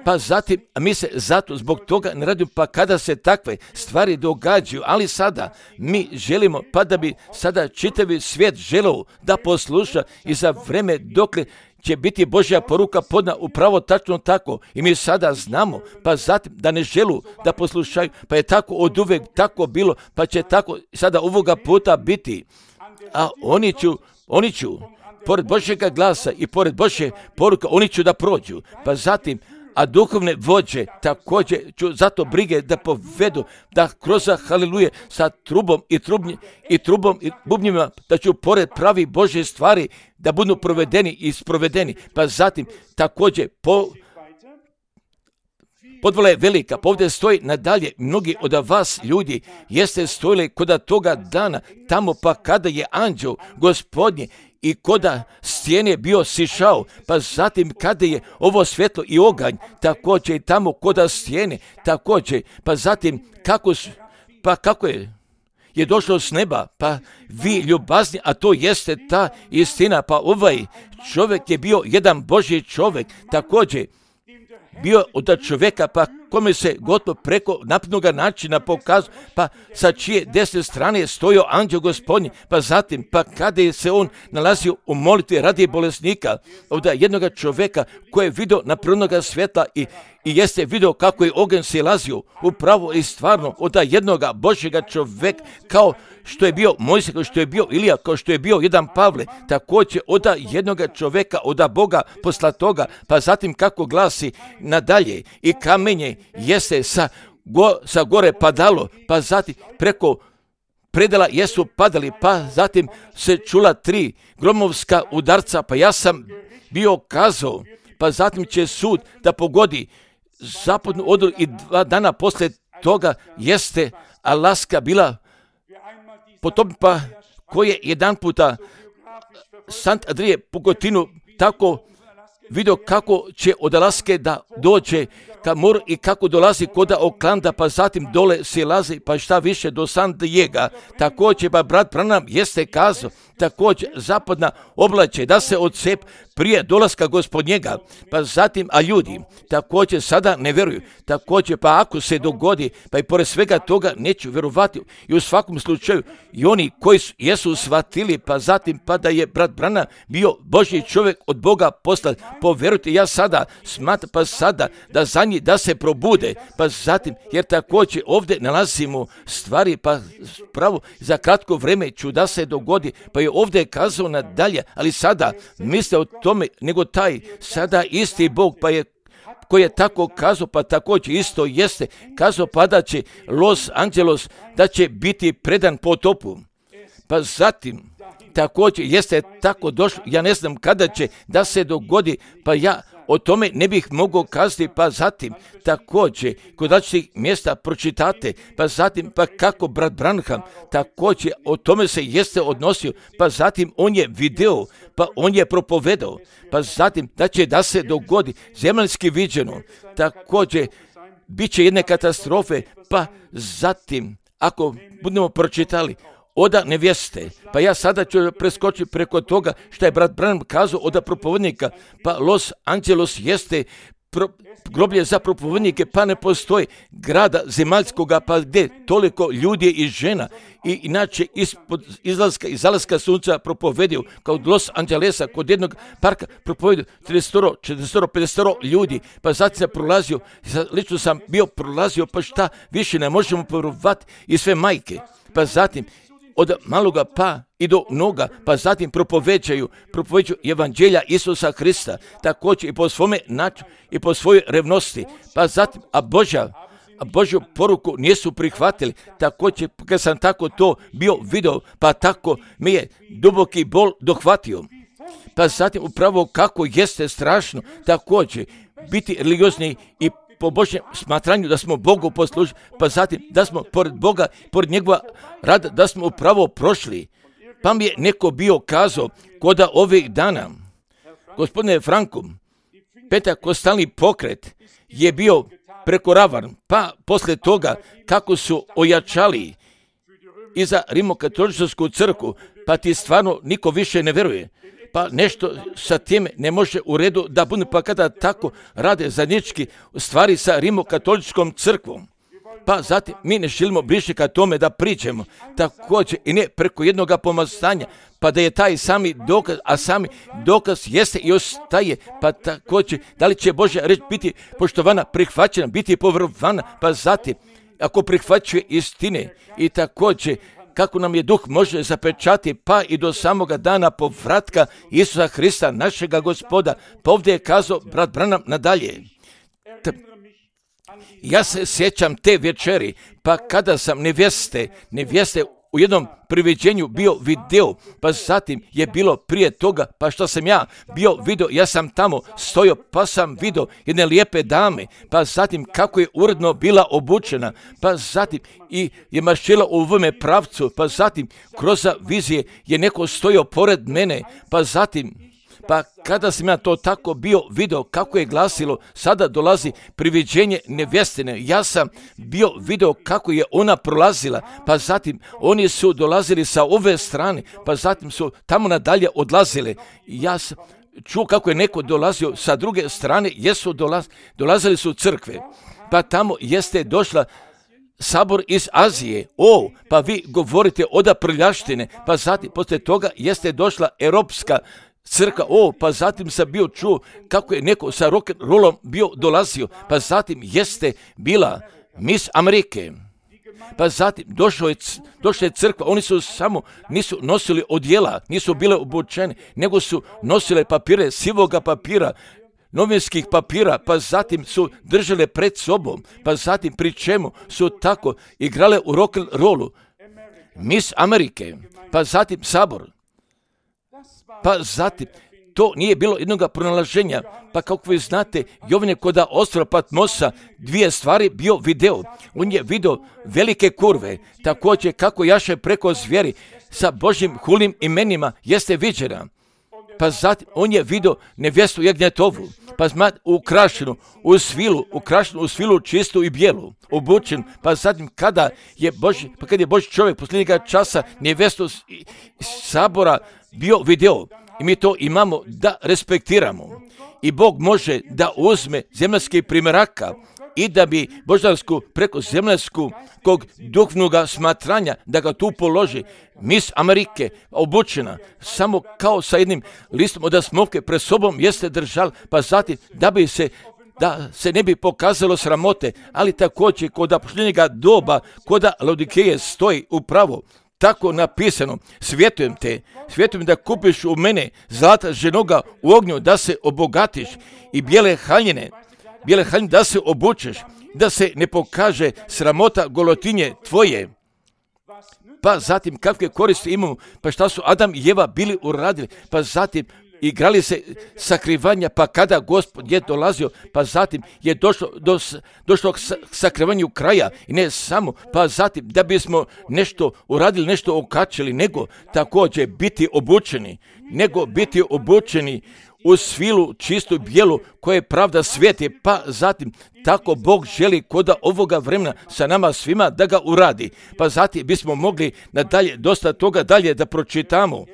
Pa zatim, mi se zato zbog toga ne radimo, pa kada se takve stvari događaju, ali sada mi želimo, pa da bi sada čitavi svijet želeo da posluša i za vreme dokle će biti Božja poruka podna upravo tačno tako. I mi sada znamo, pa zatim da ne želu da poslušaju, pa je tako od uvek tako bilo, pa će tako sada ovoga puta biti. A oni ću, oni ću, pored Božjega glasa i pored Božje poruka, oni ću da prođu. Pa zatim, a duhovne vođe također ću zato brige da povedu, da kroz haliluje sa trubom i, trubnji, i trubom i bubnjima, da ću pored pravi Božje stvari da budu provedeni i sprovedeni. Pa zatim također po, podvala je velika, pa ovdje stoji nadalje, mnogi od vas ljudi jeste stojili kod toga dana, tamo pa kada je anđeo Gospodnje i koda stijene bio sišao, pa zatim kada je ovo svjetlo i oganj, također i tamo koda stijene, također, pa zatim kako, pa kako je, je došlo s neba, pa vi ljubazni, a to jeste ta istina, pa ovaj čovjek je bio jedan Božji čovjek, također bio od čovjeka, pa kome se gotovo preko naprednoga načina pokazao, pa sa čije desne strane je stojao anđeo Gospodnji, pa zatim, pa kada je se on nalazio u molitvi radi bolesnika, od jednoga čoveka koji je vidio naprednoga svjetla i I jeste vidio kako je ogen silazio upravo i stvarno od jednoga Božjega čovjeka, kao što je bio Mojsije, kao što je bio Ilija, kao što je bio jedan Pavle, također od jednoga čovjeka, od Boga poslatoga, pa zatim kako glasi nadalje, i kamenje jeste sa, go, sa gore padalo, pa zatim preko predela jesu padali, pa zatim se čula tri gromovska udarca, pa ja sam bio kazao, pa zatim će sud da pogodi zapadnu odru i dva dana poslije toga jeste Alaska bila potom, pa koje jedan puta Sant Andrije Pogotinu tako vidio kako će od Alaske da dođe ka moru i kako dolazi kod Oklanda, pa zatim dole silazi, pa šta više do San Diego. Također, pa brat Branham jeste kazao, također zapadna oblače da se odsep prije dolaska Gospodnjega, pa zatim, a ljudi također sada ne vjeruju, također, pa ako se dogodi, pa i pored svega toga neću vjerovati, i u svakom slučaju i oni koji su, jesu shvatili, pa zatim, pa da je brat Branham bio Božji čovjek od Boga poslan, povjerujte, ja sada smatram, pa sada da za njih da se probude, pa zatim, jer također ovdje nalazimo stvari, pa pravo za kratko vrijeme ću da se dogodi, pa je ovdje kazao nadalje, ali sada misle o tome, nego taj sada isti Bog, pa je koji je tako kazao, pa također isto jeste kazao, pa da će Los Angeles, da će biti predan potopu. Pa zatim, također jeste tako došlo, ja ne znam kada će da se dogodi, pa ja o tome ne bih mogao kazati, pa zatim također kod različitih mjesta pročitate, pa zatim pa kako brat Branham također o tome se jeste odnosio, pa zatim on je video, pa on je propovedao, pa zatim da će da se dogodi zemaljski viđeno, također bit će jedne katastrofe, pa zatim ako budemo pročitali oda nevjeste, pa ja sada ću preskočiti preko toga što je brat Branham kazao oda propovednika, pa Los Angeles jeste pro, groblje za propovednike, pa ne postoji grada zemaljskoga, pa gdje toliko ljudi i žena, i inače ispod izlaska i zalaska sunca propovedio, kao Los Angelesa, kod jednog parka propovedio trideset, četrdeset, pedeset ljudi, pa zatim se prolazio, lično sam bio prolazio, pa šta više ne možemo povjerovati, i sve majke, pa zatim od maloga pa i do mnoga, pa zatim propoveđaju, propoveđaju evanđelja Isusa Hrista, također i po svome načinu i po svojoj revnosti, pa zatim, a Božja, a Božju poruku nisu prihvatili, također kad sam tako to bio video, pa tako mi je duboki bol dohvatio. Pa zatim upravo kako jeste strašno, također biti religiozni i po Božjem smatranju da smo Bogu poslužili, pa zatim da smo pored Boga, pored njegova rada, da smo upravo prošli. Pa mi je neko bio kazao, koda ovih dana, gospodine Franku, pentakostalni pokret je bio prekoravan, pa poslije toga kako su ojačali i za rimokatoličku crkvu, pa ti stvarno niko više ne vjeruje. Pa nešto sa time ne može u redu da bude, pa kada tako rade zajednički stvari sa rimokatoličkom crkvom. Pa zatim mi ne želimo bliže ka tome da priđemo, također i ne preko jednoga pomazanja, pa da je taj sami dokaz, a sami dokaz jeste i ostaje, pa također da li će Božja reč biti poštovana, prihvaćena, biti povjerovana, pa zatim ako prihvaćuje istine i također kako nam je duh može zapečati, pa i do samoga dana povratka Isusa Hrista, našega Gospoda. Pa ovdje je kazao brat Branham nadalje. T- ja se sjećam te večeri, pa kada sam nevjeste, nevjeste u jednom priviđenju bio video, pa zatim je bilo prije toga, pa što sam ja bio video, ja sam tamo stojao, pa sam video jedne lijepe dame, pa zatim kako je uredno bila obučena, pa zatim i je maršila u ovome pravcu, pa zatim kroz vizije je neko stojao pored mene, pa zatim pa kada sam ja to tako bio video kako je glasilo, sada dolazi priviđenje nevjestine. Ja sam bio video kako je ona prolazila, pa zatim oni su dolazili sa ove strane, pa zatim su tamo nadalje odlazili. Ja sam čuo kako je neko dolazio sa druge strane, jesu dolaz, dolazili su crkve. pa tamo jeste došla sabor iz Azije. O, pa vi govorite oda prljaštine, pa zatim poslije toga jeste došla europska crkva. O, pa zatim sam bio čuo kako je neko sa rock'n'rollom bio dolazio, pa zatim jeste bila Miss Amerike. Pa zatim došla je, došla je crkva, oni su samo, nisu nosili odjela, nisu bile obučeni, nego su nosile papire, sivoga papira, novinskih papira, pa zatim su držale pred sobom, pa zatim pri čemu su tako igrale u rock'n'rollu. Miss Amerike, pa zatim sabor, pa zatim to nije bilo jednoga pronalaženja, pa kako vi znate, Jovan je kod ostrva Patmosa dvije stvari bio video. On je video velike kurve, također kako jaše preko zvijeri sa Božjim hulnim imenima jeste viđena. Pa zatim on je video nevjestu jagnjetovu, pa zna ukrašenu u svilu, ukrašenu u svilu čistu i bijelu, obučen, pa zatim kada je Božji, pa kad je Božji čovjek posljednjega časa nevjestu sabora bio video. I mi to imamo da respektiramo. I Bog može da uzme zemaljski primjeraka i da bi božansku preko zemaljskog duhovnog smatranja da ga tu položi. Miss Amerike obučena samo kao sa jednim listom od smokve pred sobom jeste držal, pa zatim da bi se da se ne bi pokazalo sramote, ali također kod posljednjega doba kod Laodikeje stoji upravo tako napisano, svjetujem te, svjetujem da kupiš u mene zlata ženoga u ognju, da se obogatiš i bijele haljine, bijele haljine da se obučeš, da se ne pokaže sramota golotinje tvoje. Pa zatim kakve koristi imamo, pa šta su Adam i Eva bili uradili, pa zatim igrali se sakrivanja, pa kada Gospod je dolazio, pa zatim je došlo do došlo k sakrivanju kraja i ne samo, pa zatim da bismo nešto uradili, nešto okačili, nego također biti obučeni, nego biti obučeni u svilu čistu bijelu koje pravda svijeti, pa zatim tako Bog želi kod ovoga vremena sa nama svima da ga uradi, pa zatim bismo mogli nadalje dosta toga dalje da pročitamo,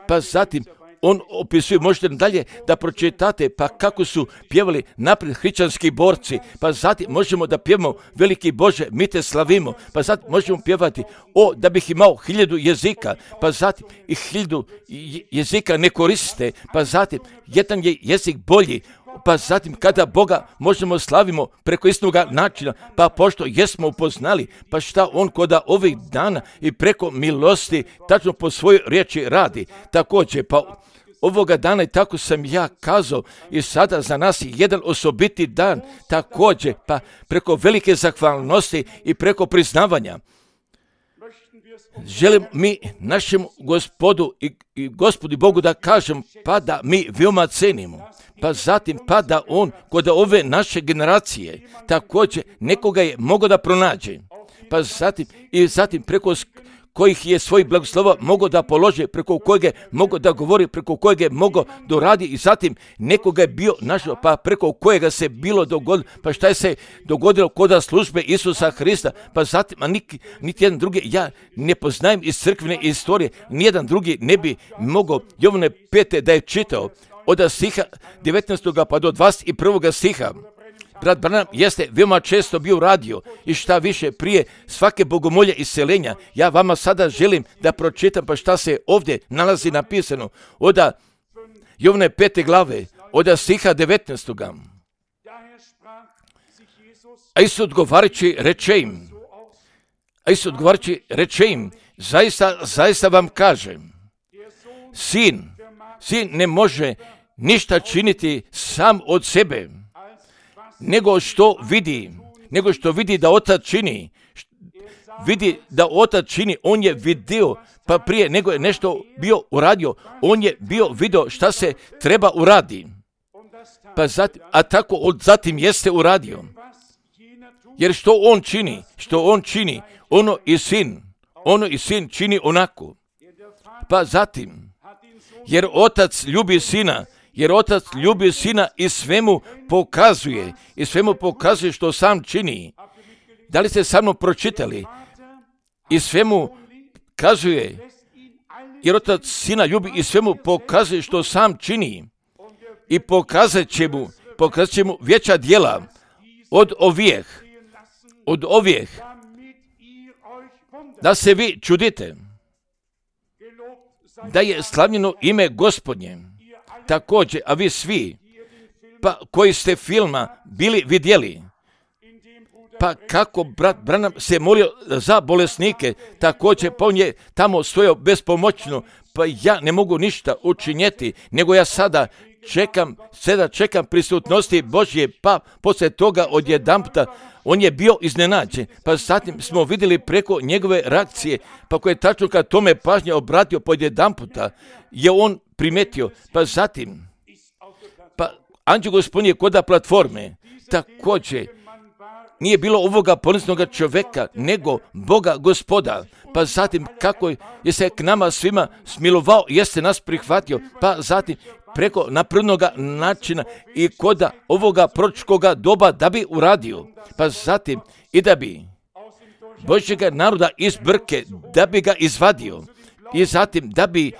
pa zatim on opisuje, možete dalje da pročitate, pa kako su pjevali naprijed hrišćanski borci, pa zatim možemo da pjevamo veliki Bože, mi te slavimo, pa zatim možemo pjevati, o, da bih imao hiljadu jezika, pa zatim i hiljadu jezika ne koriste, pa zatim jedan je jezik bolji, pa zatim kada Boga možemo slavimo preko istinoga načina, pa pošto jesmo upoznali, pa šta on koda ovih dana i preko milosti tačno po svojoj riječi radi. Također, pa ovoga dana i tako sam ja kazao i sada za nas je jedan osobiti dan, također, pa preko velike zahvalnosti i preko priznavanja. Želim mi našem Gospodu i, i Gospodi Bogu da kažem, pa da mi veoma cenimo, pa zatim pa da on kod ove naše generacije također nekoga je mogao da pronađe, pa zatim i zatim preko kojih je svojih blagoslova mogao da polože, preko kojeg je mogao da govori, preko kojeg je mogao da radi i zatim nekoga je bio našao, pa preko kojega se bilo dogodilo, pa šta je se dogodilo kod službe Isusa Hrista, pa zatim, a niti, niti jedan drugi, ja ne poznajem iz crkvene istorije, nijedan drugi ne bi mogao Jovane pete da je čitao, od stiha devetnaestog pa do dvadeset prvog stiha. Brat Branham jeste veoma često bio radio i šta više prije svake bogomolje iseljenja. Ja vama sada želim da pročitam pa šta se ovdje nalazi napisano. Od Jovane pete glave, od stiha devetnaestog. A Isus odgovarajući reče im, a Isus odgovarajući reče im, zaista, zaista vam kažem, sin, sin ne može ništa činiti sam od sebe, nego što vidi, nego što vidi da otac čini, vidi da otac čini, on je vidio, pa prije nego je nešto bio uradio, on je bio vidio šta se treba uradi, pa zatim, a tako od zatim jeste uradio, jer što on čini, što on čini, ono i sin, ono i sin čini onako, pa zatim, jer otac ljubi sina, jer otac ljubi sina i svemu pokazuje, i svemu pokazuje što sam čini. Da li ste sa mnom pročitali? I svemu kazuje, jer otac sina ljubi i svemu pokazuje što sam čini. I pokazat će mu, pokazat će mu veća djela od ovijeh, od ovih, da se vi čudite, da je slavljeno ime Gospodnje. Također, a vi svi, pa koji ste filma bili vidjeli, pa kako brat Branham se molio za bolesnike, također pa on je tamo stojao bespomoćno, pa ja ne mogu ništa učinjeti, nego ja sada čekam, sada čekam prisutnosti Božje, pa poslije toga odjedanputa on je bio iznenađen, pa zatim smo vidjeli preko njegove reakcije, pa koje je tačno kad tome pažnje obratio podjedanputa, je on primetio, pa zatim, pa anđeo Gospodnji je koda platforme, također, nije bilo ovoga ponosnoga čovjeka, nego Boga Gospoda, pa zatim kako je se k nama svima smilovao, jeste nas prihvatio, pa zatim preko naprednoga načina i koda ovoga proročkoga doba da bi uradio, pa zatim i da bi Božjega naroda iz brke, da bi ga izvadio i zatim da bi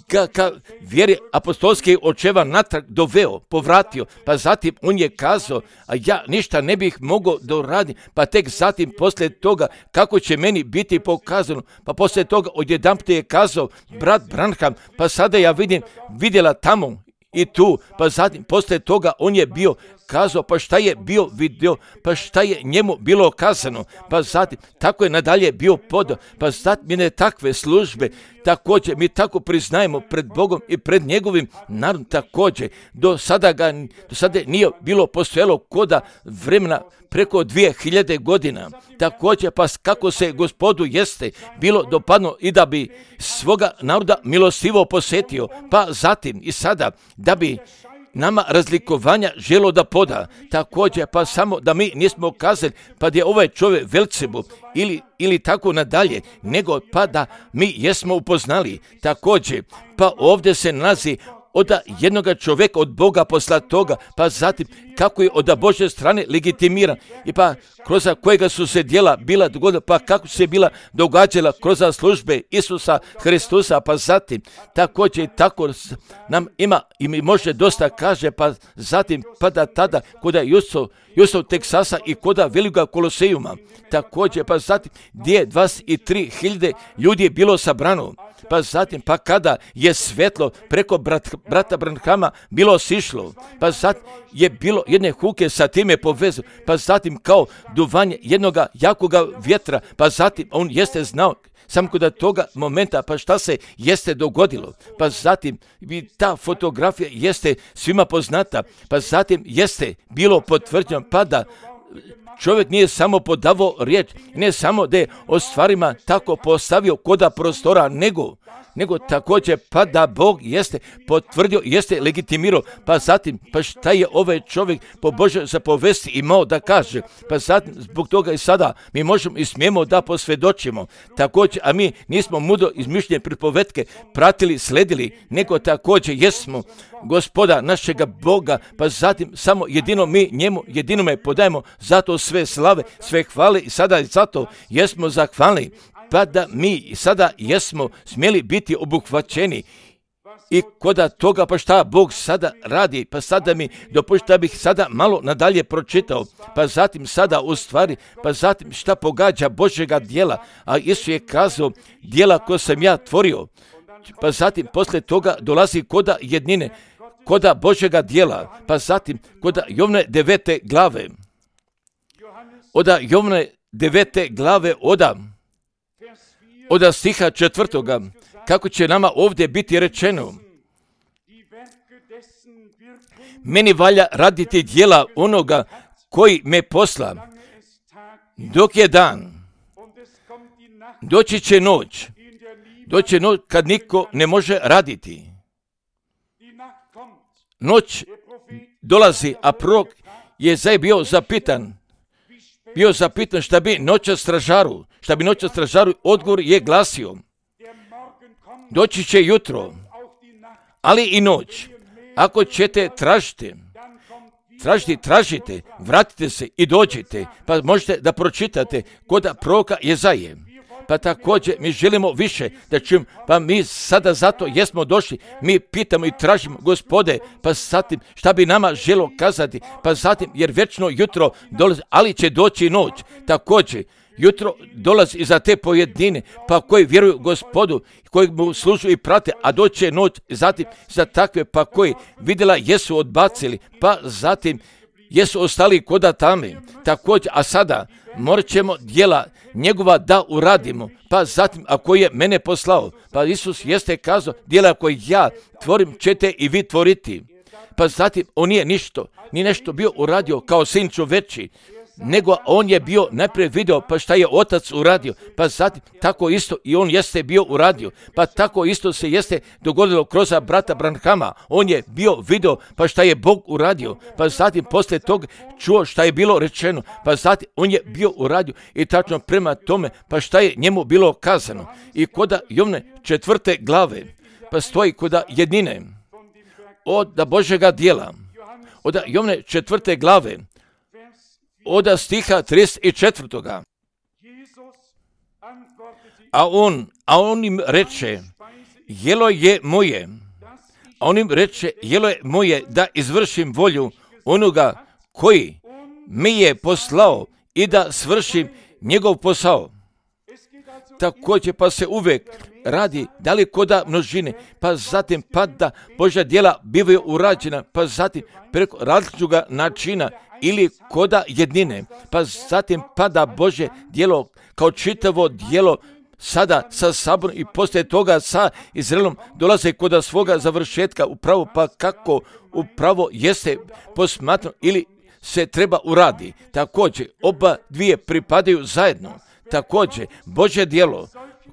ga ka vjeri apostolskih očeva natrag doveo, povratio, pa zatim on je kazao, a ja ništa ne bih mogao doraditi, pa tek zatim poslije toga kako će meni biti pokazano, pa poslije toga odjedanput je kazao brat Branham, pa sada ja vidim, vidjela tamo i tu, pa zatim poslije toga on je bio kazao, pa šta je bio vidio, pa šta je njemu bilo kazano, pa zatim tako je nadalje bio podao, pa zatim mine takve službe, također mi tako priznajemo pred Bogom i pred njegovim narodom, također do sada ga, do sada nije bilo postojalo koda vremena preko dvije hiljade godina, također pa kako se Gospodu jeste bilo dopadno i da bi svoga naroda milostivo posjetio, pa zatim i sada da bi nama razlikovanja želo da poda, također pa samo da mi nismo kazali pa da je ovaj čovjek Velcebu ili, ili tako nadalje, nego pa da mi jesmo upoznali, također pa ovdje se nalazi od jednoga čovjeka od Boga poslatoga, pa zatim kako je od Božje strane legitimiran i pa kroz kojega su se djela bila dogodila, pa kako se bila događala kroz službe Isusa Hristusa, pa zatim također tako nam ima i mi može dosta kaže, pa zatim pa da tada koda Jusov, Jusov Teksasa i koda Velika Kolosejuma, također pa zatim gdje je dvadeset tri hiljade ljudi je bilo sabrano, pa zatim pa kada je svetlo preko brat, brata Branhama bilo sišlo, pa zatim je bilo jedne huke sa time povezano, pa zatim kao duvanje jednoga jakoga vjetra, pa zatim on jeste znao samo kod toga momenta, pa šta se jeste dogodilo, pa zatim i ta fotografija jeste svima poznata, pa zatim jeste bilo potvrđeno, pa da čovjek nije samo podavao riječ, ne samo da je o stvarima tako postavio koda prostora, nego, nego također pa da Bog jeste potvrdio, jeste legitimirao, pa zatim pa šta je ovaj čovjek po Božoj zapovesti imao da kaže, pa zatim zbog toga i sada mi možemo i smijemo da posvjedočimo, također, a mi nismo mudro izmišljene pripovetke pratili, sledili, nego također jesmo Gospoda našega Boga, pa zatim samo jedino mi njemu, jedinome podajemo zato sve slave, sve hvale i sada i zato jesmo zahvalni, pa da mi sada jesmo smjeli biti obuhvaćeni i koda toga pa šta Bog sada radi, pa sada mi dopušta bih sada malo nadalje pročitao, pa zatim sada u stvari, pa zatim šta pogađa Božjega djela, a Isus je kazao djela koje sam ja tvorio, pa zatim poslije toga dolazi koda jednine, koda Božjega djela, pa zatim koda Jovne devete glave, oda Jovne devete glave oda, oda stiha četvrtoga, kako će nama ovdje biti rečeno, meni valja raditi djela onoga koji me posla, dok je dan, doći će noć, doći će noć kad niko ne može raditi. Noć dolazi, a prorok je zaj bio zapitan, bio zapitan šta bi noća stražaru, šta bi noća stražaru, odgovor je glasio, doći će jutro, ali i noć, ako ćete tražiti, tražiti, tražite, vratite se i dođite, pa možete da pročitate kod proroka Jezaje. pa također mi želimo više da čujemo, pa mi sada zato jesmo došli, mi pitamo i tražimo, Gospode, pa zatim šta bi nama želo kazati, pa zatim jer večno jutro dolazi, ali će doći noć, također jutro dolazi i za te pojedine, pa koji vjeruju Gospodu, koji mu služu i prate, a doće noć, zatim za takve pa koji vidjela jesu odbacili, pa zatim jesu ostali koda tame, također, a sada morat ćemo djela njegova da uradimo, pa zatim ako je mene poslao, pa Isus jeste kazao, djela koje ja tvorim ćete i vi tvoriti, pa zatim on nije ništo, ni nešto bio uradio kao sin čoveči, nego on je bio najprije video pa šta je otac uradio, pa zatim tako isto i on jeste bio uradio, pa tako isto se jeste dogodilo kroz brata Branhama, on je bio video pa šta je Bog uradio, pa zatim poslije tog čuo šta je bilo rečeno, pa zatim on je bio uradio i tačno prema tome pa šta je njemu bilo kazano. I koda Jovne četvrte glave, pa stoji koda jednine od Božjega djela, od Jovne četvrte glave, od stiha trideset četvrtoga. A on, a on im reče, jelo je moje, a on im reče, jelo je moje da izvršim volju onoga koji mi je poslao i da svršim njegov posao. Također pa se uvijek radi da li koda množine, pa zatim pa da Božja djela bivaju urađena, pa zatim preko različitog načina ili koda jednine, pa zatim pada Božje djelo kao čitavo djelo sada sa saborom i poslije toga sa Izraelom dolaze koda svoga završetka upravo pa kako upravo jeste posmatrano ili se treba uradi. Također oba dvije pripadaju zajedno. Također Božje djelo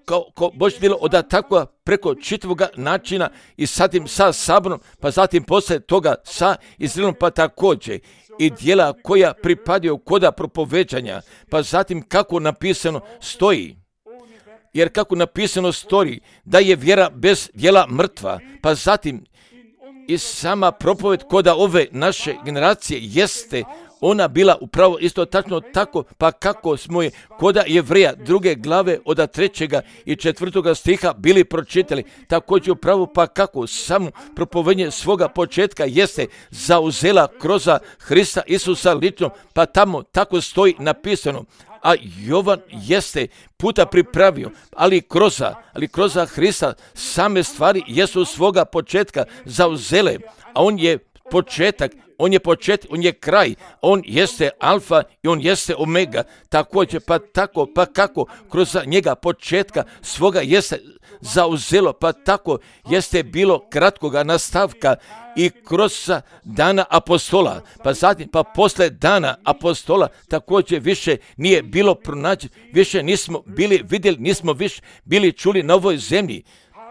kao, kao Božje djelo od tako preko čitavog načina i zatim sa saborom, pa zatim poslije toga sa Izraelom pa također i djela koja pripadaju koda propoveđanja, pa zatim kako napisano stoji. Jer kako napisano stoji da je vjera bez djela mrtva, pa zatim i sama propoved koda ove naše generacije jeste ona bila upravo isto tačno tako, pa kako smo je koda Jevreja druge glave od trećega i četvrtoga stiha bili pročitali, također upravo pa kako samo propovednje svoga početka jeste zauzela kroz Hrista Isusa lično, pa tamo tako stoji napisano. A Jovan jeste puta pripravio, ali kroz, ali kroz Hrista same stvari jesu svoga početka zauzele, a on je početak, on je početak, on je kraj, on jeste alfa i on jeste omega, također pa tako, pa kako kroz njega početka svoga jeste zauzelo, pa tako jeste bilo kratkoga nastavka i kroz dana apostola, pa zatim pa posle dana apostola također više nije bilo pronađeno, više nismo bili vidjeli, nismo više bili čuli na ovoj zemlji,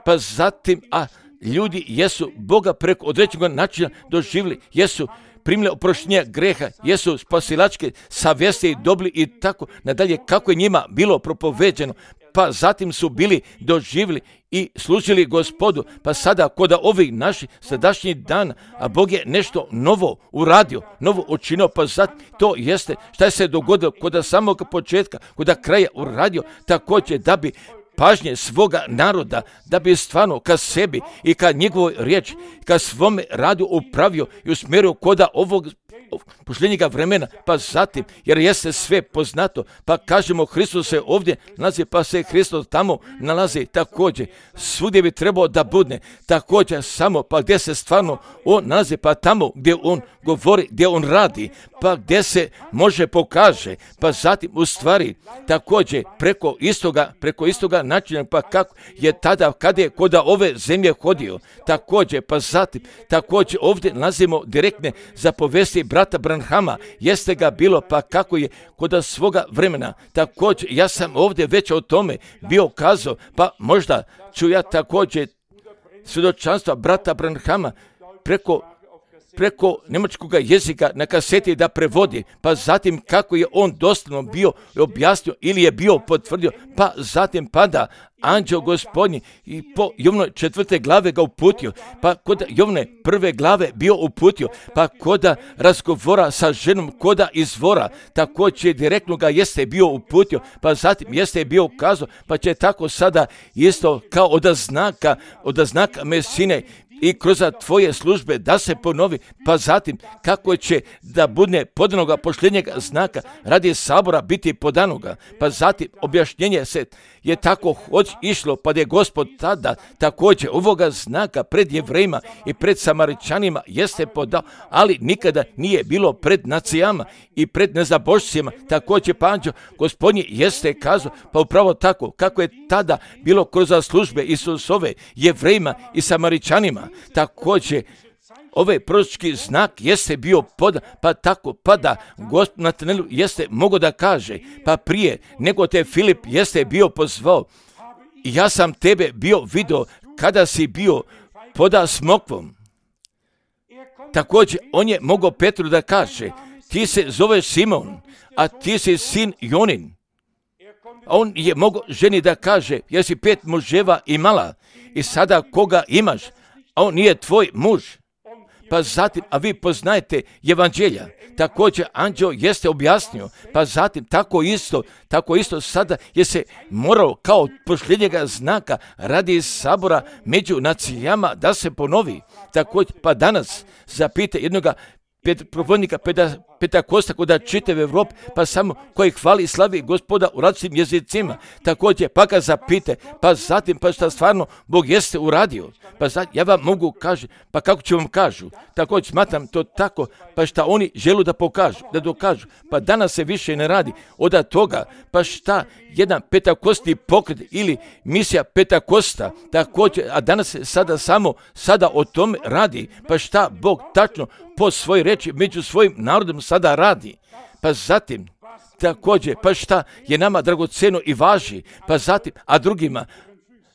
pa zatim, a ljudi jesu Boga preko određenog načina doživjeli, jesu primili oproštenje greha, jesu spasilačke savjesti dobili i tako nadalje kako je njima bilo propoveđeno, pa zatim su bili doživjeli i služili Gospodu, pa sada kod ovih naših sadašnjih dana, a Bog je nešto novo uradio, novo učinio, pa zatim to jeste šta je se dogodilo kod samog početka, kod kraja uradio, također da bi pažnje svoga naroda, da bi stvarno ka sebi i ka njegovoj riječi, ka svome radu upravio i usmjerio koda ovog posljednjega vremena, pa zatim, jer jeste sve poznato, pa kažemo Hristos se ovdje nalazi, pa se Hristos tamo nalazi također, svugdje bi trebao da bude, također samo, pa gdje se stvarno on nalazi, pa tamo gdje on govori, gdje on radi, pa gdje se može pokaže, pa zatim u stvari također preko istoga, preko istoga načina, pa kako je tada, kada je kod ove zemlje hodio, također, pa zatim, također ovdje nalazimo direktne zapovesti brata Branhama, jeste ga bilo, pa kako je kod svoga vremena, također, ja sam ovdje već o tome bio kazao, pa možda ću ja također svjedočanstva brata Branhama preko preko njemačkog jezika na kaseti da prevodi, pa zatim kako je on doslovno bio objasnio ili je bio potvrdio, pa zatim pada anđeo Gospodnji i po Jovnoj četvrte glave ga uputio, pa kod Jovne prve glave bio uputio, pa koda razgovora sa ženom, koda izvora, također direktno ga jeste bio uputio, pa zatim jeste bio ukazao, pa će tako sada isto kao od znaka, od znaka Mesine i kroz tvoje službe da se ponovi, pa zatim kako će da bude podanoga pošljenjega znaka radi sabora biti podanoga, pa zatim objašnjenje se je tako hoć išlo, pa da je Gospod tada također ovoga znaka pred Jevrejima i pred Samaričanima jeste podao, ali nikada nije bilo pred nacijama i pred nezabošcima, također pa anđeo Gospodnji jeste kazao, pa upravo tako kako je tada bilo kroz službe Isusove Jevrejima i Samaričanima, također ovaj proročki znak jeste bio podan, pa tako pada Gospod Natanelu jeste mogo da kaže, pa prije nego te Filip jeste bio pozvao, ja sam tebe bio vidio kada si bio poda smokvom. Također on je mogao Petru da kaže, ti se zoveš Simon, a ti si sin Jonin. A on je mogao ženi da kaže, jesi pet muževa imala i sada koga imaš, a on nije tvoj muž. Pa zatim, a vi poznajete evanđelja. Također anđeo jeste objasnio, pa zatim tako isto, tako isto sada je se morao kao pošljenjega znaka radi sabora među nacijama da se ponovi. Također, pa danas zapite jednoga propovjednika Pentakosta koda čitave Evrope, pa samo koji hvali i slavi Gospoda u različitim jezicima. Također, pa ga zapite, pa zatim, pa šta stvarno Bog jeste uradio. Pa zatim, ja vam mogu kaži, pa kako ću vam kažu. Također, smatram to tako, pa šta oni želu da pokažu, da dokažu. Pa danas se više ne radi od toga, pa šta jedan petakostni pokret ili misija Pentakosta, također, a danas se sada samo sada o tome radi, pa šta Bog tačno po svojoj reči među svojim narodom sada radi. Pa zatim, također, pa šta je nama dragoceno i važi, pa zatim, a drugima,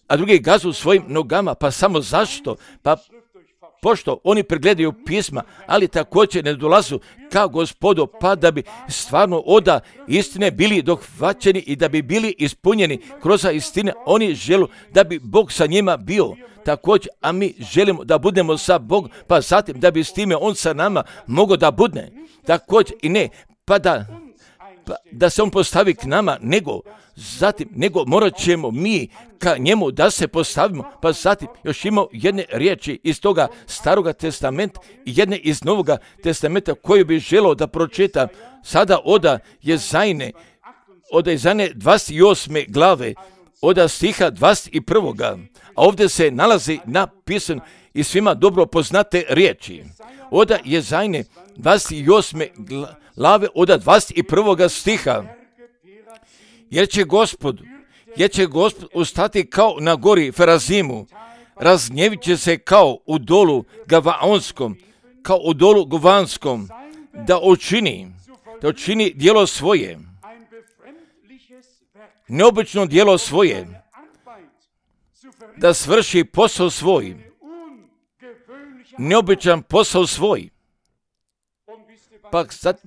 a drugi gazu svojim nogama, pa samo zašto? Pa pošto oni pregledaju pisma, ali također ne dolazu kao Gospodu, pa da bi stvarno oda istine bili dohvaćeni i da bi bili ispunjeni kroz istine, oni žele da bi Bog sa njima bio. Također, a mi želimo da budemo sa Bogom, pa zatim da bi s time on sa nama mogao da budne. Također i ne, pa da, pa da se on postavi k nama, nego zatim, nego morat ćemo mi ka njemu da se postavimo, pa zatim još imamo jedne riječi iz toga Staroga testamenta i jedne iz Novoga testamenta koju bi želeo da pročitam sada oda Jezajne, oda Jezajne dvadeset osme glave, oda stiha dvadeset prvog. A ovdje se nalazi napisan i svima dobro poznate riječi. Oda Jezajne dvadeset osme glave, oda dvadeset prvog stiha. Jer će Gospod, jer će Gospod ustati kao na gori Ferazimu, razgnjevit će se kao u dolu Gavaonskom, kao u dolu Govanskom, da učini, da učini djelo svoje, neobično djelo svoje, da svrši posao svoj, neobičan posao svoj. Pa sad,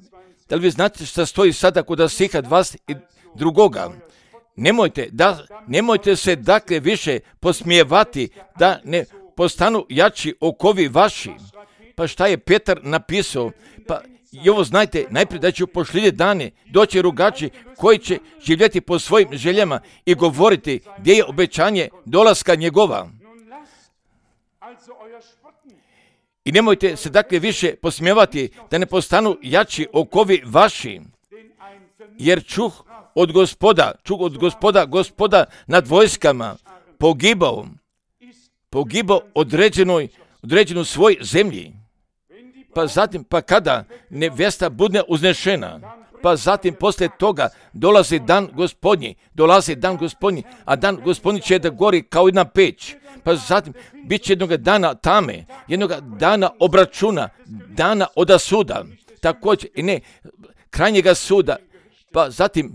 da li vi znate šta stoji sada kod stiha dvadeset drugoga? Nemojte, da, nemojte se dakle više posmijevati da ne postanu jači okovi vaši. Pa šta je Petar napisao? Pa i ovo znajte, najprije da će u pošljednje dane doći rugači koji će živjeti po svojim željama i govoriti gdje je obećanje dolaska njegova. I nemojte se dakle više posmijevati da ne postanu jači okovi vaši, jer čuh od Gospoda, čuh od Gospoda, Gospoda nad vojskama, pogibao, pogibao određenoj, određenu svoj zemlji. Pa zatim, pa kada nevjesta bude uznešena, pa zatim poslije toga dolazi dan Gospodnji, dolazi dan Gospodnji, a dan Gospodnji će da gori kao jedna peć. Pa zatim bit će jednog dana tame, jednog dana obračuna, dana oda suda, također i ne krajnjega suda, pa zatim,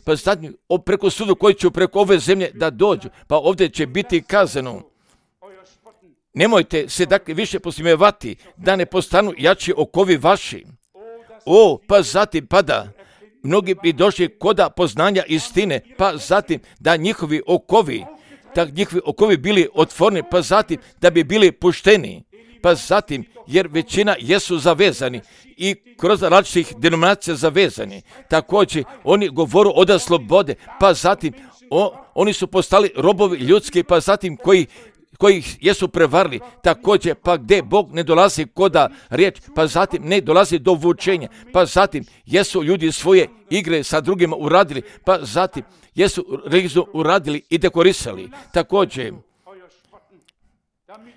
pa zatim preko suda koji će preko ove zemlje da dođu, pa ovdje će biti kazano, Nemojte se dakle više posmijevati da ne postanu jači okovi vaši. O, pa zatim pada. Mnogi bi došli koda poznanja istine, pa zatim da njihovi okovi, da njihovi okovi bili otvoreni, pa zatim da bi bili pušteni, pa zatim jer većina jesu zavezani i kroz različitih denominacija zavezani. Također oni govoru od slobode, pa zatim o, oni su postali robovi ljudski, pa zatim koji koji jesu prevarili, također pa gdje Bog ne dolazi koda riječ, pa zatim ne dolazi do vučenja, pa zatim jesu ljudi svoje igre sa drugima uradili, pa zatim jesu religiju uradili i dekorisali. Također,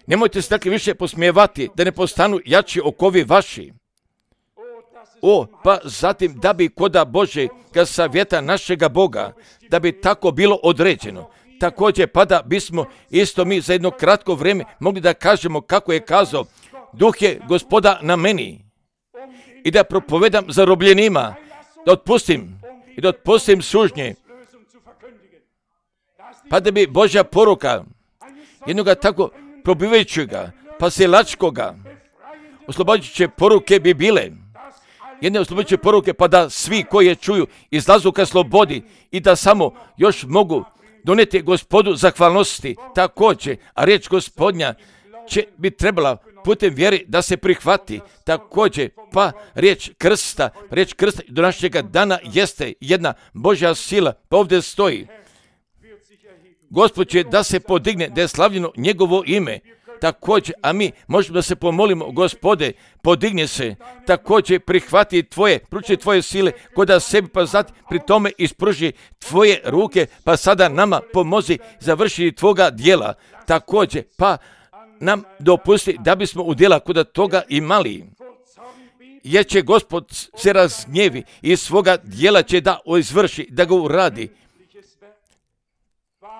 nemojte se dakle više posmijevati da ne postanu jači okovi vaši. O, pa zatim da bi koda Božjega savjeta našega Boga, da bi tako bilo određeno. Također, pa da bismo isto mi za jedno kratko vrijeme mogli da kažemo kako je kazao, duh je Gospoda na meni i da propovedam zarobljenima, da otpustim i da otpustim sužnje, pa da bi Božja poruka jednoga tako probivajućega, pa silačkoga, oslobađajuće poruke bi bile, jedne oslobađajuće poruke, pa da svi koji je čuju izlazu ka slobodi i da samo još mogu donijeti Gospodu zahvalnosti. Također, a riječ Gospodnja će bi trebala putem vjeri da se prihvati. Također, pa riječ krsta, riječ krsta do našega dana jeste jedna Božja sila, pa ovdje stoji. Gospod će da se podigne, da je slavljeno njegovo ime. Također, a mi možemo da se pomolimo, Gospode, podigne se, također prihvati tvoje, pruči tvoje sile, koda sebi pa zati pri tome ispruži tvoje ruke, pa sada nama pomozi završiti tvoga dijela. Također, pa nam dopusti da bismo u dijela koda toga imali. Jer će Gospod se razgnjevi i svoga dijela će da izvrši, da ga uradi.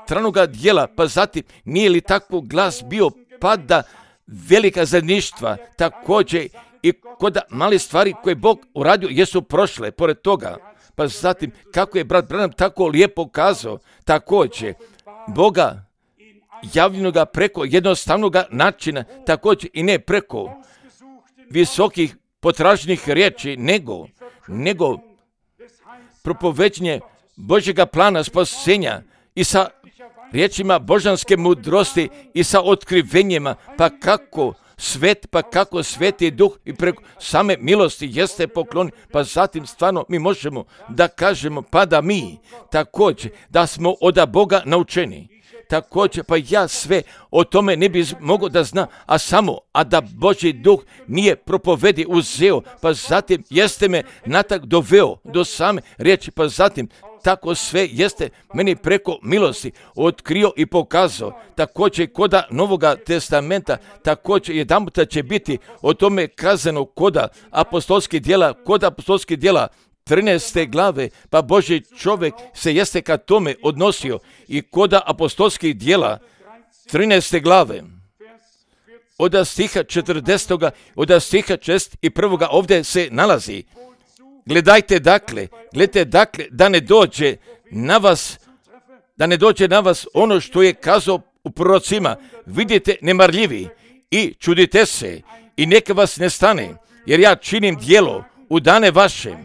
Stranoga dijela, pa zatim nije li tako glas bio pada velika zajedništva, također i kod mali stvari koje Bog uradio jesu prošle pored toga. Pa zatim kako je brat Branham tako lijepo kazao, također Boga javljenoga preko jednostavnog načina, također i ne preko visokih potražnih riječi, nego, nego propoveđenje Božjega plana spasenja i sa riječima božanske mudrosti i sa otkrivenjima, pa kako svet, pa kako sveti duh i preko same milosti jeste poklon, pa zatim stvarno mi možemo da kažemo, pa da mi također da smo od Boga naučeni. Također, pa ja sve o tome ne bi mogao da znam, a samo, a da Božji duh nije propovedi uzeo, pa zatim jeste me natak doveo do same riječi, pa zatim tako sve jeste meni preko milosti otkrio i pokazao. Također koda Novoga testamenta, također jedanputa će biti o tome kazano koda apostolskih djela, koda apostolskih djela trinaeste glave, pa Božji čovjek se jeste ka tome odnosio i koda apostolskih djela trinaeste glave. Od stiha četrdesetog, od stiha čest i prvoga ovdje se nalazi. Gledajte dakle, gledajte dakle da ne dođe na vas, da ne dođe na vas ono što je kazao u prorocima. Vidite nemarljivi i čudite se i neka vas ne stane, jer ja činim djelo u dane vaše,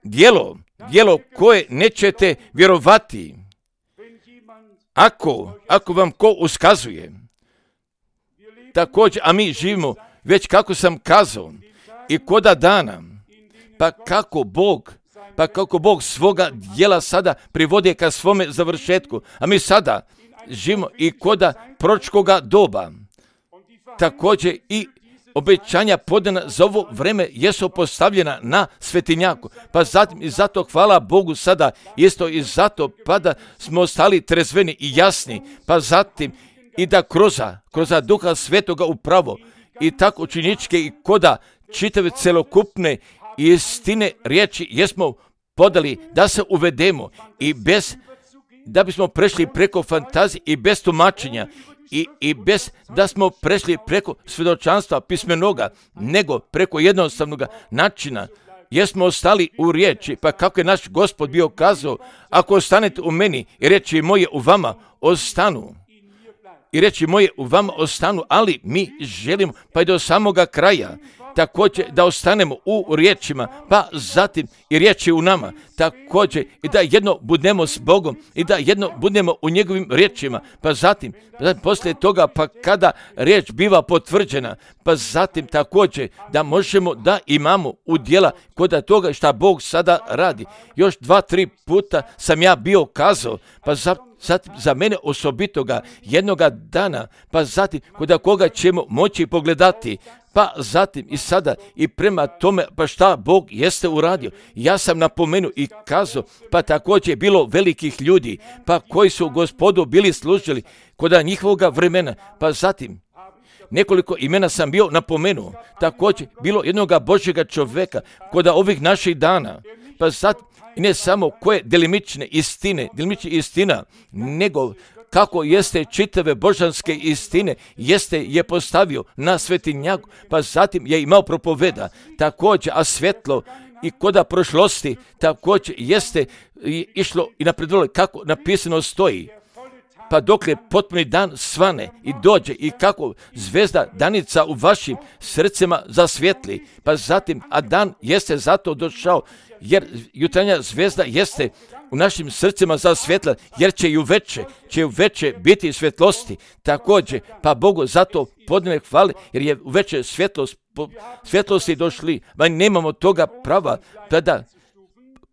djelo, djelo koje nećete vjerovati. Ako, ako vam ko uskazuje, također, a mi živimo već kako sam kazao i koda dana, pa kako Bog, pa kako Bog svoga djela sada privodi ka svome završetku, a mi sada živimo i koda proročkoga doba. Također i obećanja podana za ovo vreme jesu postavljena na svetinjaku, pa zatim i zato hvala Bogu sada isto i zato pa da smo ostali trezveni i jasni, pa zatim i da kroza, kroza Duha Svetoga upravo i tako činičke i koda čitave celokupne istine riječi jesmo podali da se uvedemo i bez, da bismo prešli preko fantazije i bez tumačenja i, i bez da smo prešli preko svjedočanstva pismenoga, nego preko jednostavnog načina jesmo ostali u riječi, pa kako je naš Gospod bio kazao, ako ostanete u meni i riječi moje u vama ostanu, i reći moje u vama ostanu, ali mi želimo pa i do samoga kraja također da ostanemo u riječima, pa zatim i riječi u nama, također i da jedno budemo s Bogom i da jedno budemo u njegovim riječima, pa zatim, zatim poslije toga pa kada riječ biva potvrđena, pa zatim također da možemo da imamo udjela kod toga šta Bog sada radi. Još dva, tri puta sam ja bio kazao, pa zatim Zatim za mene osobitoga jednoga dana, pa zatim kod koga ćemo moći pogledati, pa zatim i sada i prema tome pa šta Bog jeste uradio. Ja sam napomenuo i kazao, pa također je bilo velikih ljudi, pa koji su Gospodu bili služili kod njihovoga vremena, pa zatim nekoliko imena sam bio napomenuo, također bilo jednoga Božjega čovjeka kod ovih naših dana, pa zatim i ne samo koje delimične istine, delimične istina, nego kako jeste čitave božanske istine, jeste je postavio na svetinjaku, pa zatim je imao propoveda, također, a svjetlo i koda prošlosti, također jeste išlo i napredovalo kako napisano stoji. Pa dokle potpuni dan svane i dođe i kako zvezda danica u vašim srcima zasvjetli, pa zatim, a dan jeste zato došao, jer jutarnja zvezda jeste u našim srcima zasvjetla, jer će i uveče, će uveče biti svjetlosti. Također, pa Bogu zato podne hvale, jer je uveče svjetlost, svjetlosti došli, ma nemamo toga prava, tada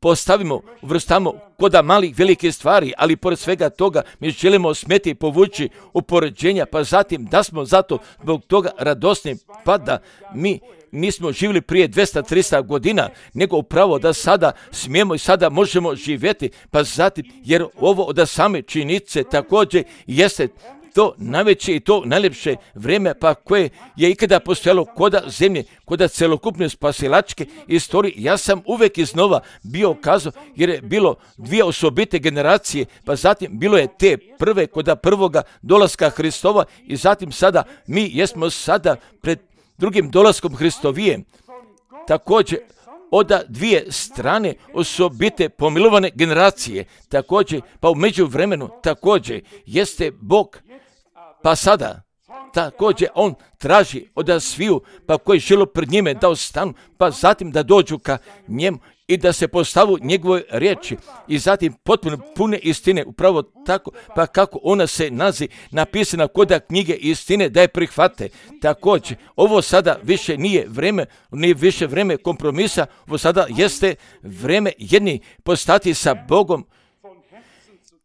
postavimo, uvrstamo koda malih velike stvari, ali pored svega toga mi želimo smeti povući upoređenja, pa zatim da smo zato zbog toga radosni, pa da mi nismo živjeli prije dvjesto tristo godina, nego upravo da sada smijemo i sada možemo živjeti, pa zatim jer ovo od same činjenice također jeste to najveće i to najljepše vrijeme pa koje je ikada postojalo koda zemlje, koda celokupne spasilačke istorije. Ja sam uvijek iznova bio kazao, jer je bilo dvije osobite generacije, pa zatim bilo je te prve koda prvoga dolaska Hristova i zatim sada mi jesmo sada pred drugim dolaskom Hristovijem. Također od dvije strane osobite pomilovane generacije, također pa u međuvremenu također jeste Bog, pa sada također on traži od sviju pa koji žele pred njime da ostanu, pa zatim da dođu ka njemu i da se postavu njegove riječi i zatim potpuno pune istine, upravo tako pa kako ona se nazi napisana koda knjige istine da je prihvate. Također ovo sada više nije vreme, nije više vreme kompromisa, ovo sada jeste vreme jedni postati sa Bogom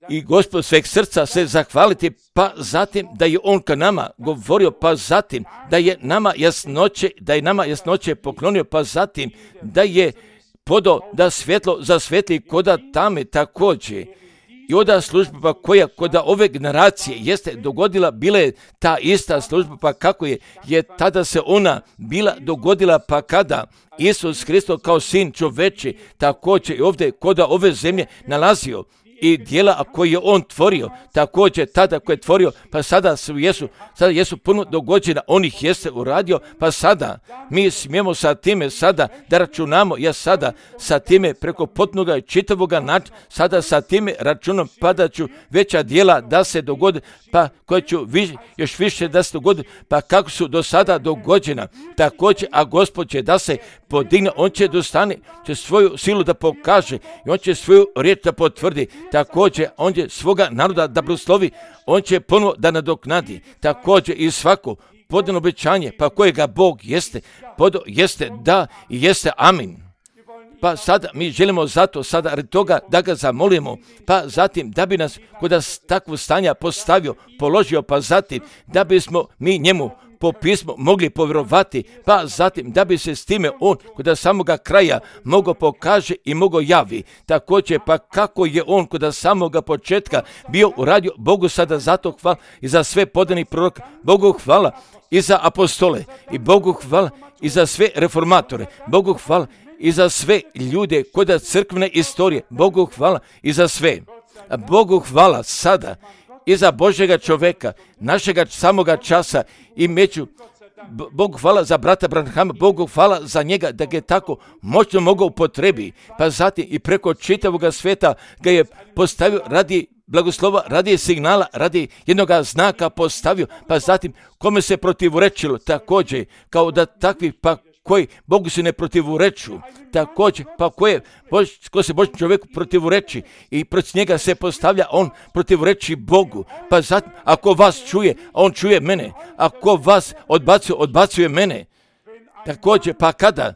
i Gospod sveg srca se zahvaliti, pa zatim da je on ka nama govorio, pa zatim da je nama jasnoće, da je nama jasnoće poklonio, pa zatim da je podo da svjetlo zasvetli koda tame također. I oda služba pa koja koda ove generacije jeste dogodila, bila je ta ista služba pa kako je, je tada se ona bila dogodila pa kada Isus Hristos kao sin čoveči također i ovdje koda ove zemlje nalazio i dijela koje je on tvorio, također tada koje je tvorio, pa sada su jesu, sada jesu puno dogođena, on ih jeste uradio, pa sada mi smijemo sa time sada da računamo, ja sada sa time preko potpunoga čitavoga načina, sada sa time računom pa da ću veća dijela da se dogodi, pa koje ću viš, još više da se dogodi, pa kako su do sada dogođena, također, a Gospod će da se podigne, on će dostane, će svoju silu da pokaže i on će svoju riječ da potvrdi. Također, on će svoga naroda da blagoslovi, on će ponovo da nadoknadi. Također i svako podano obećanje, pa kojega Bog jeste, podo jeste da i jeste amin. Pa sada mi želimo zato sada radi toga da ga zamolimo, pa zatim da bi nas kod takvog stanja postavio, položio, pa zatim da bismo mi njemu po pismu mogli povjerovati, pa zatim da bi se s time on kod samoga kraja mogao pokaže i mogao javi. Također pa kako je on kod samoga početka bio uradio, Bogu sada zato hvala i za sve podani proroka, Bogu hvala i za apostole i Bogu hvala i za sve reformatore, Bogu hvala i za sve ljude kod crkvene istorije, Bogu hvala i za sve. Bogu hvala sada i za Božjega čovjeka, našega samoga časa i među. Bogu hvala za brata Branhama, Bogu hvala za njega da ga je tako moćno mogao upotrebi, pa zatim i preko čitavoga svijeta ga je postavio radi blagoslova, radi signala, radi jednog znaka postavio, pa zatim kome se protivrečilo, također, kao da takvi pa koji Bogu se ne protivreču, također, pa koje, ko se Božjem čovjeku protivreči i protiv njega se postavlja, on protivreči Bogu, pa zatim, ako vas čuje, on čuje mene, ako vas odbacuje, odbacuje mene, također, pa kada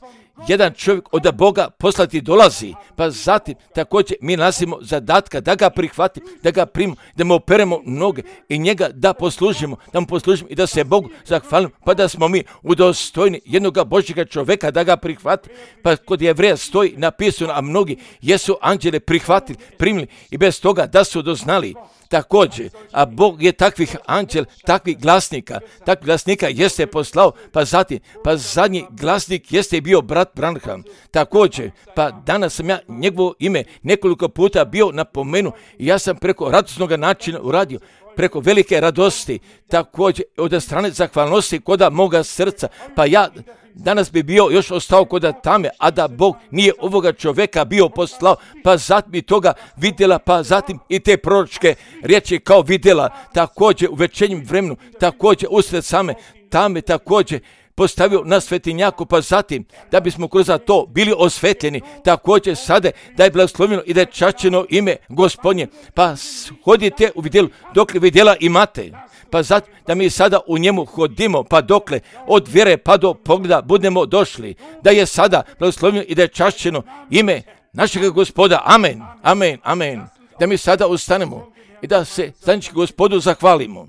jedan čovjek od Boga poslati dolazi, pa zatim također mi nasimo zadatka da ga prihvatimo, da ga primimo, da mu operemo noge i njega da poslužimo, da mu poslužimo i da se Bogu zahvalimo, pa da smo mi udostojni jednog Božjega čovjeka da ga prihvati. Pa kod Jevreja stoji napisano, a mnogi jesu anđele prihvatili, primili i bez toga da su doznali. Također, a Bog je takvih anđel, takvih glasnika, takvih glasnika jeste poslao, pa zatim, pa zadnji glasnik jeste bio brat Branham. Također, pa danas sam ja njegovo ime nekoliko puta bio napomenu i ja sam preko radosnog načina uradio, preko velike radosti, također od strane zahvalnosti koda moga srca, pa ja danas bi bio još ostao koda tame, a da Bog nije ovoga čovjeka bio poslao, pa zatim i toga vidjela, pa zatim i te proročke riječi kao vidjela, također u večernjem vremenu, također usred same tame, također postavio na svetinjaku, pa zatim da bismo kroz to bili osvetljeni, također sada da je blagoslovljeno i da je čašćeno ime Gospodnje, pa hodite u vidjelu dokle vidjela imate, pa zatim da mi sada u njemu hodimo, pa dokle od vjere pa do pogleda budemo došli, da je sada blagoslovljeno i da je čašćeno ime našega Gospoda, amen, amen, amen, da mi sada ustanemo i da se zajednički Gospodu zahvalimo.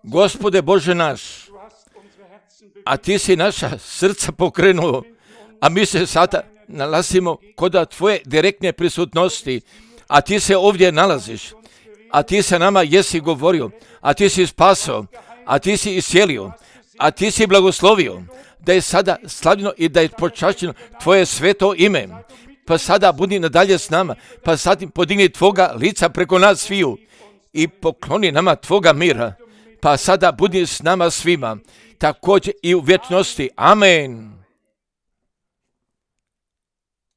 Gospode Bože naš, a ti si naša srca pokrenuo, a mi se sada nalazimo kod tvoje direktne prisutnosti, a ti se ovdje nalaziš, a ti se nama jesi govorio, a ti si spasao, a ti si iscijelio, a ti si blagoslovio, da je sada slavljeno i da je počašćeno tvoje sveto ime, pa sada budi nadalje s nama, pa zatim podigni tvoga lica preko nas sviju i pokloni nama tvoga mira, pa sada budi s nama svima, također i u vječnosti. Amen.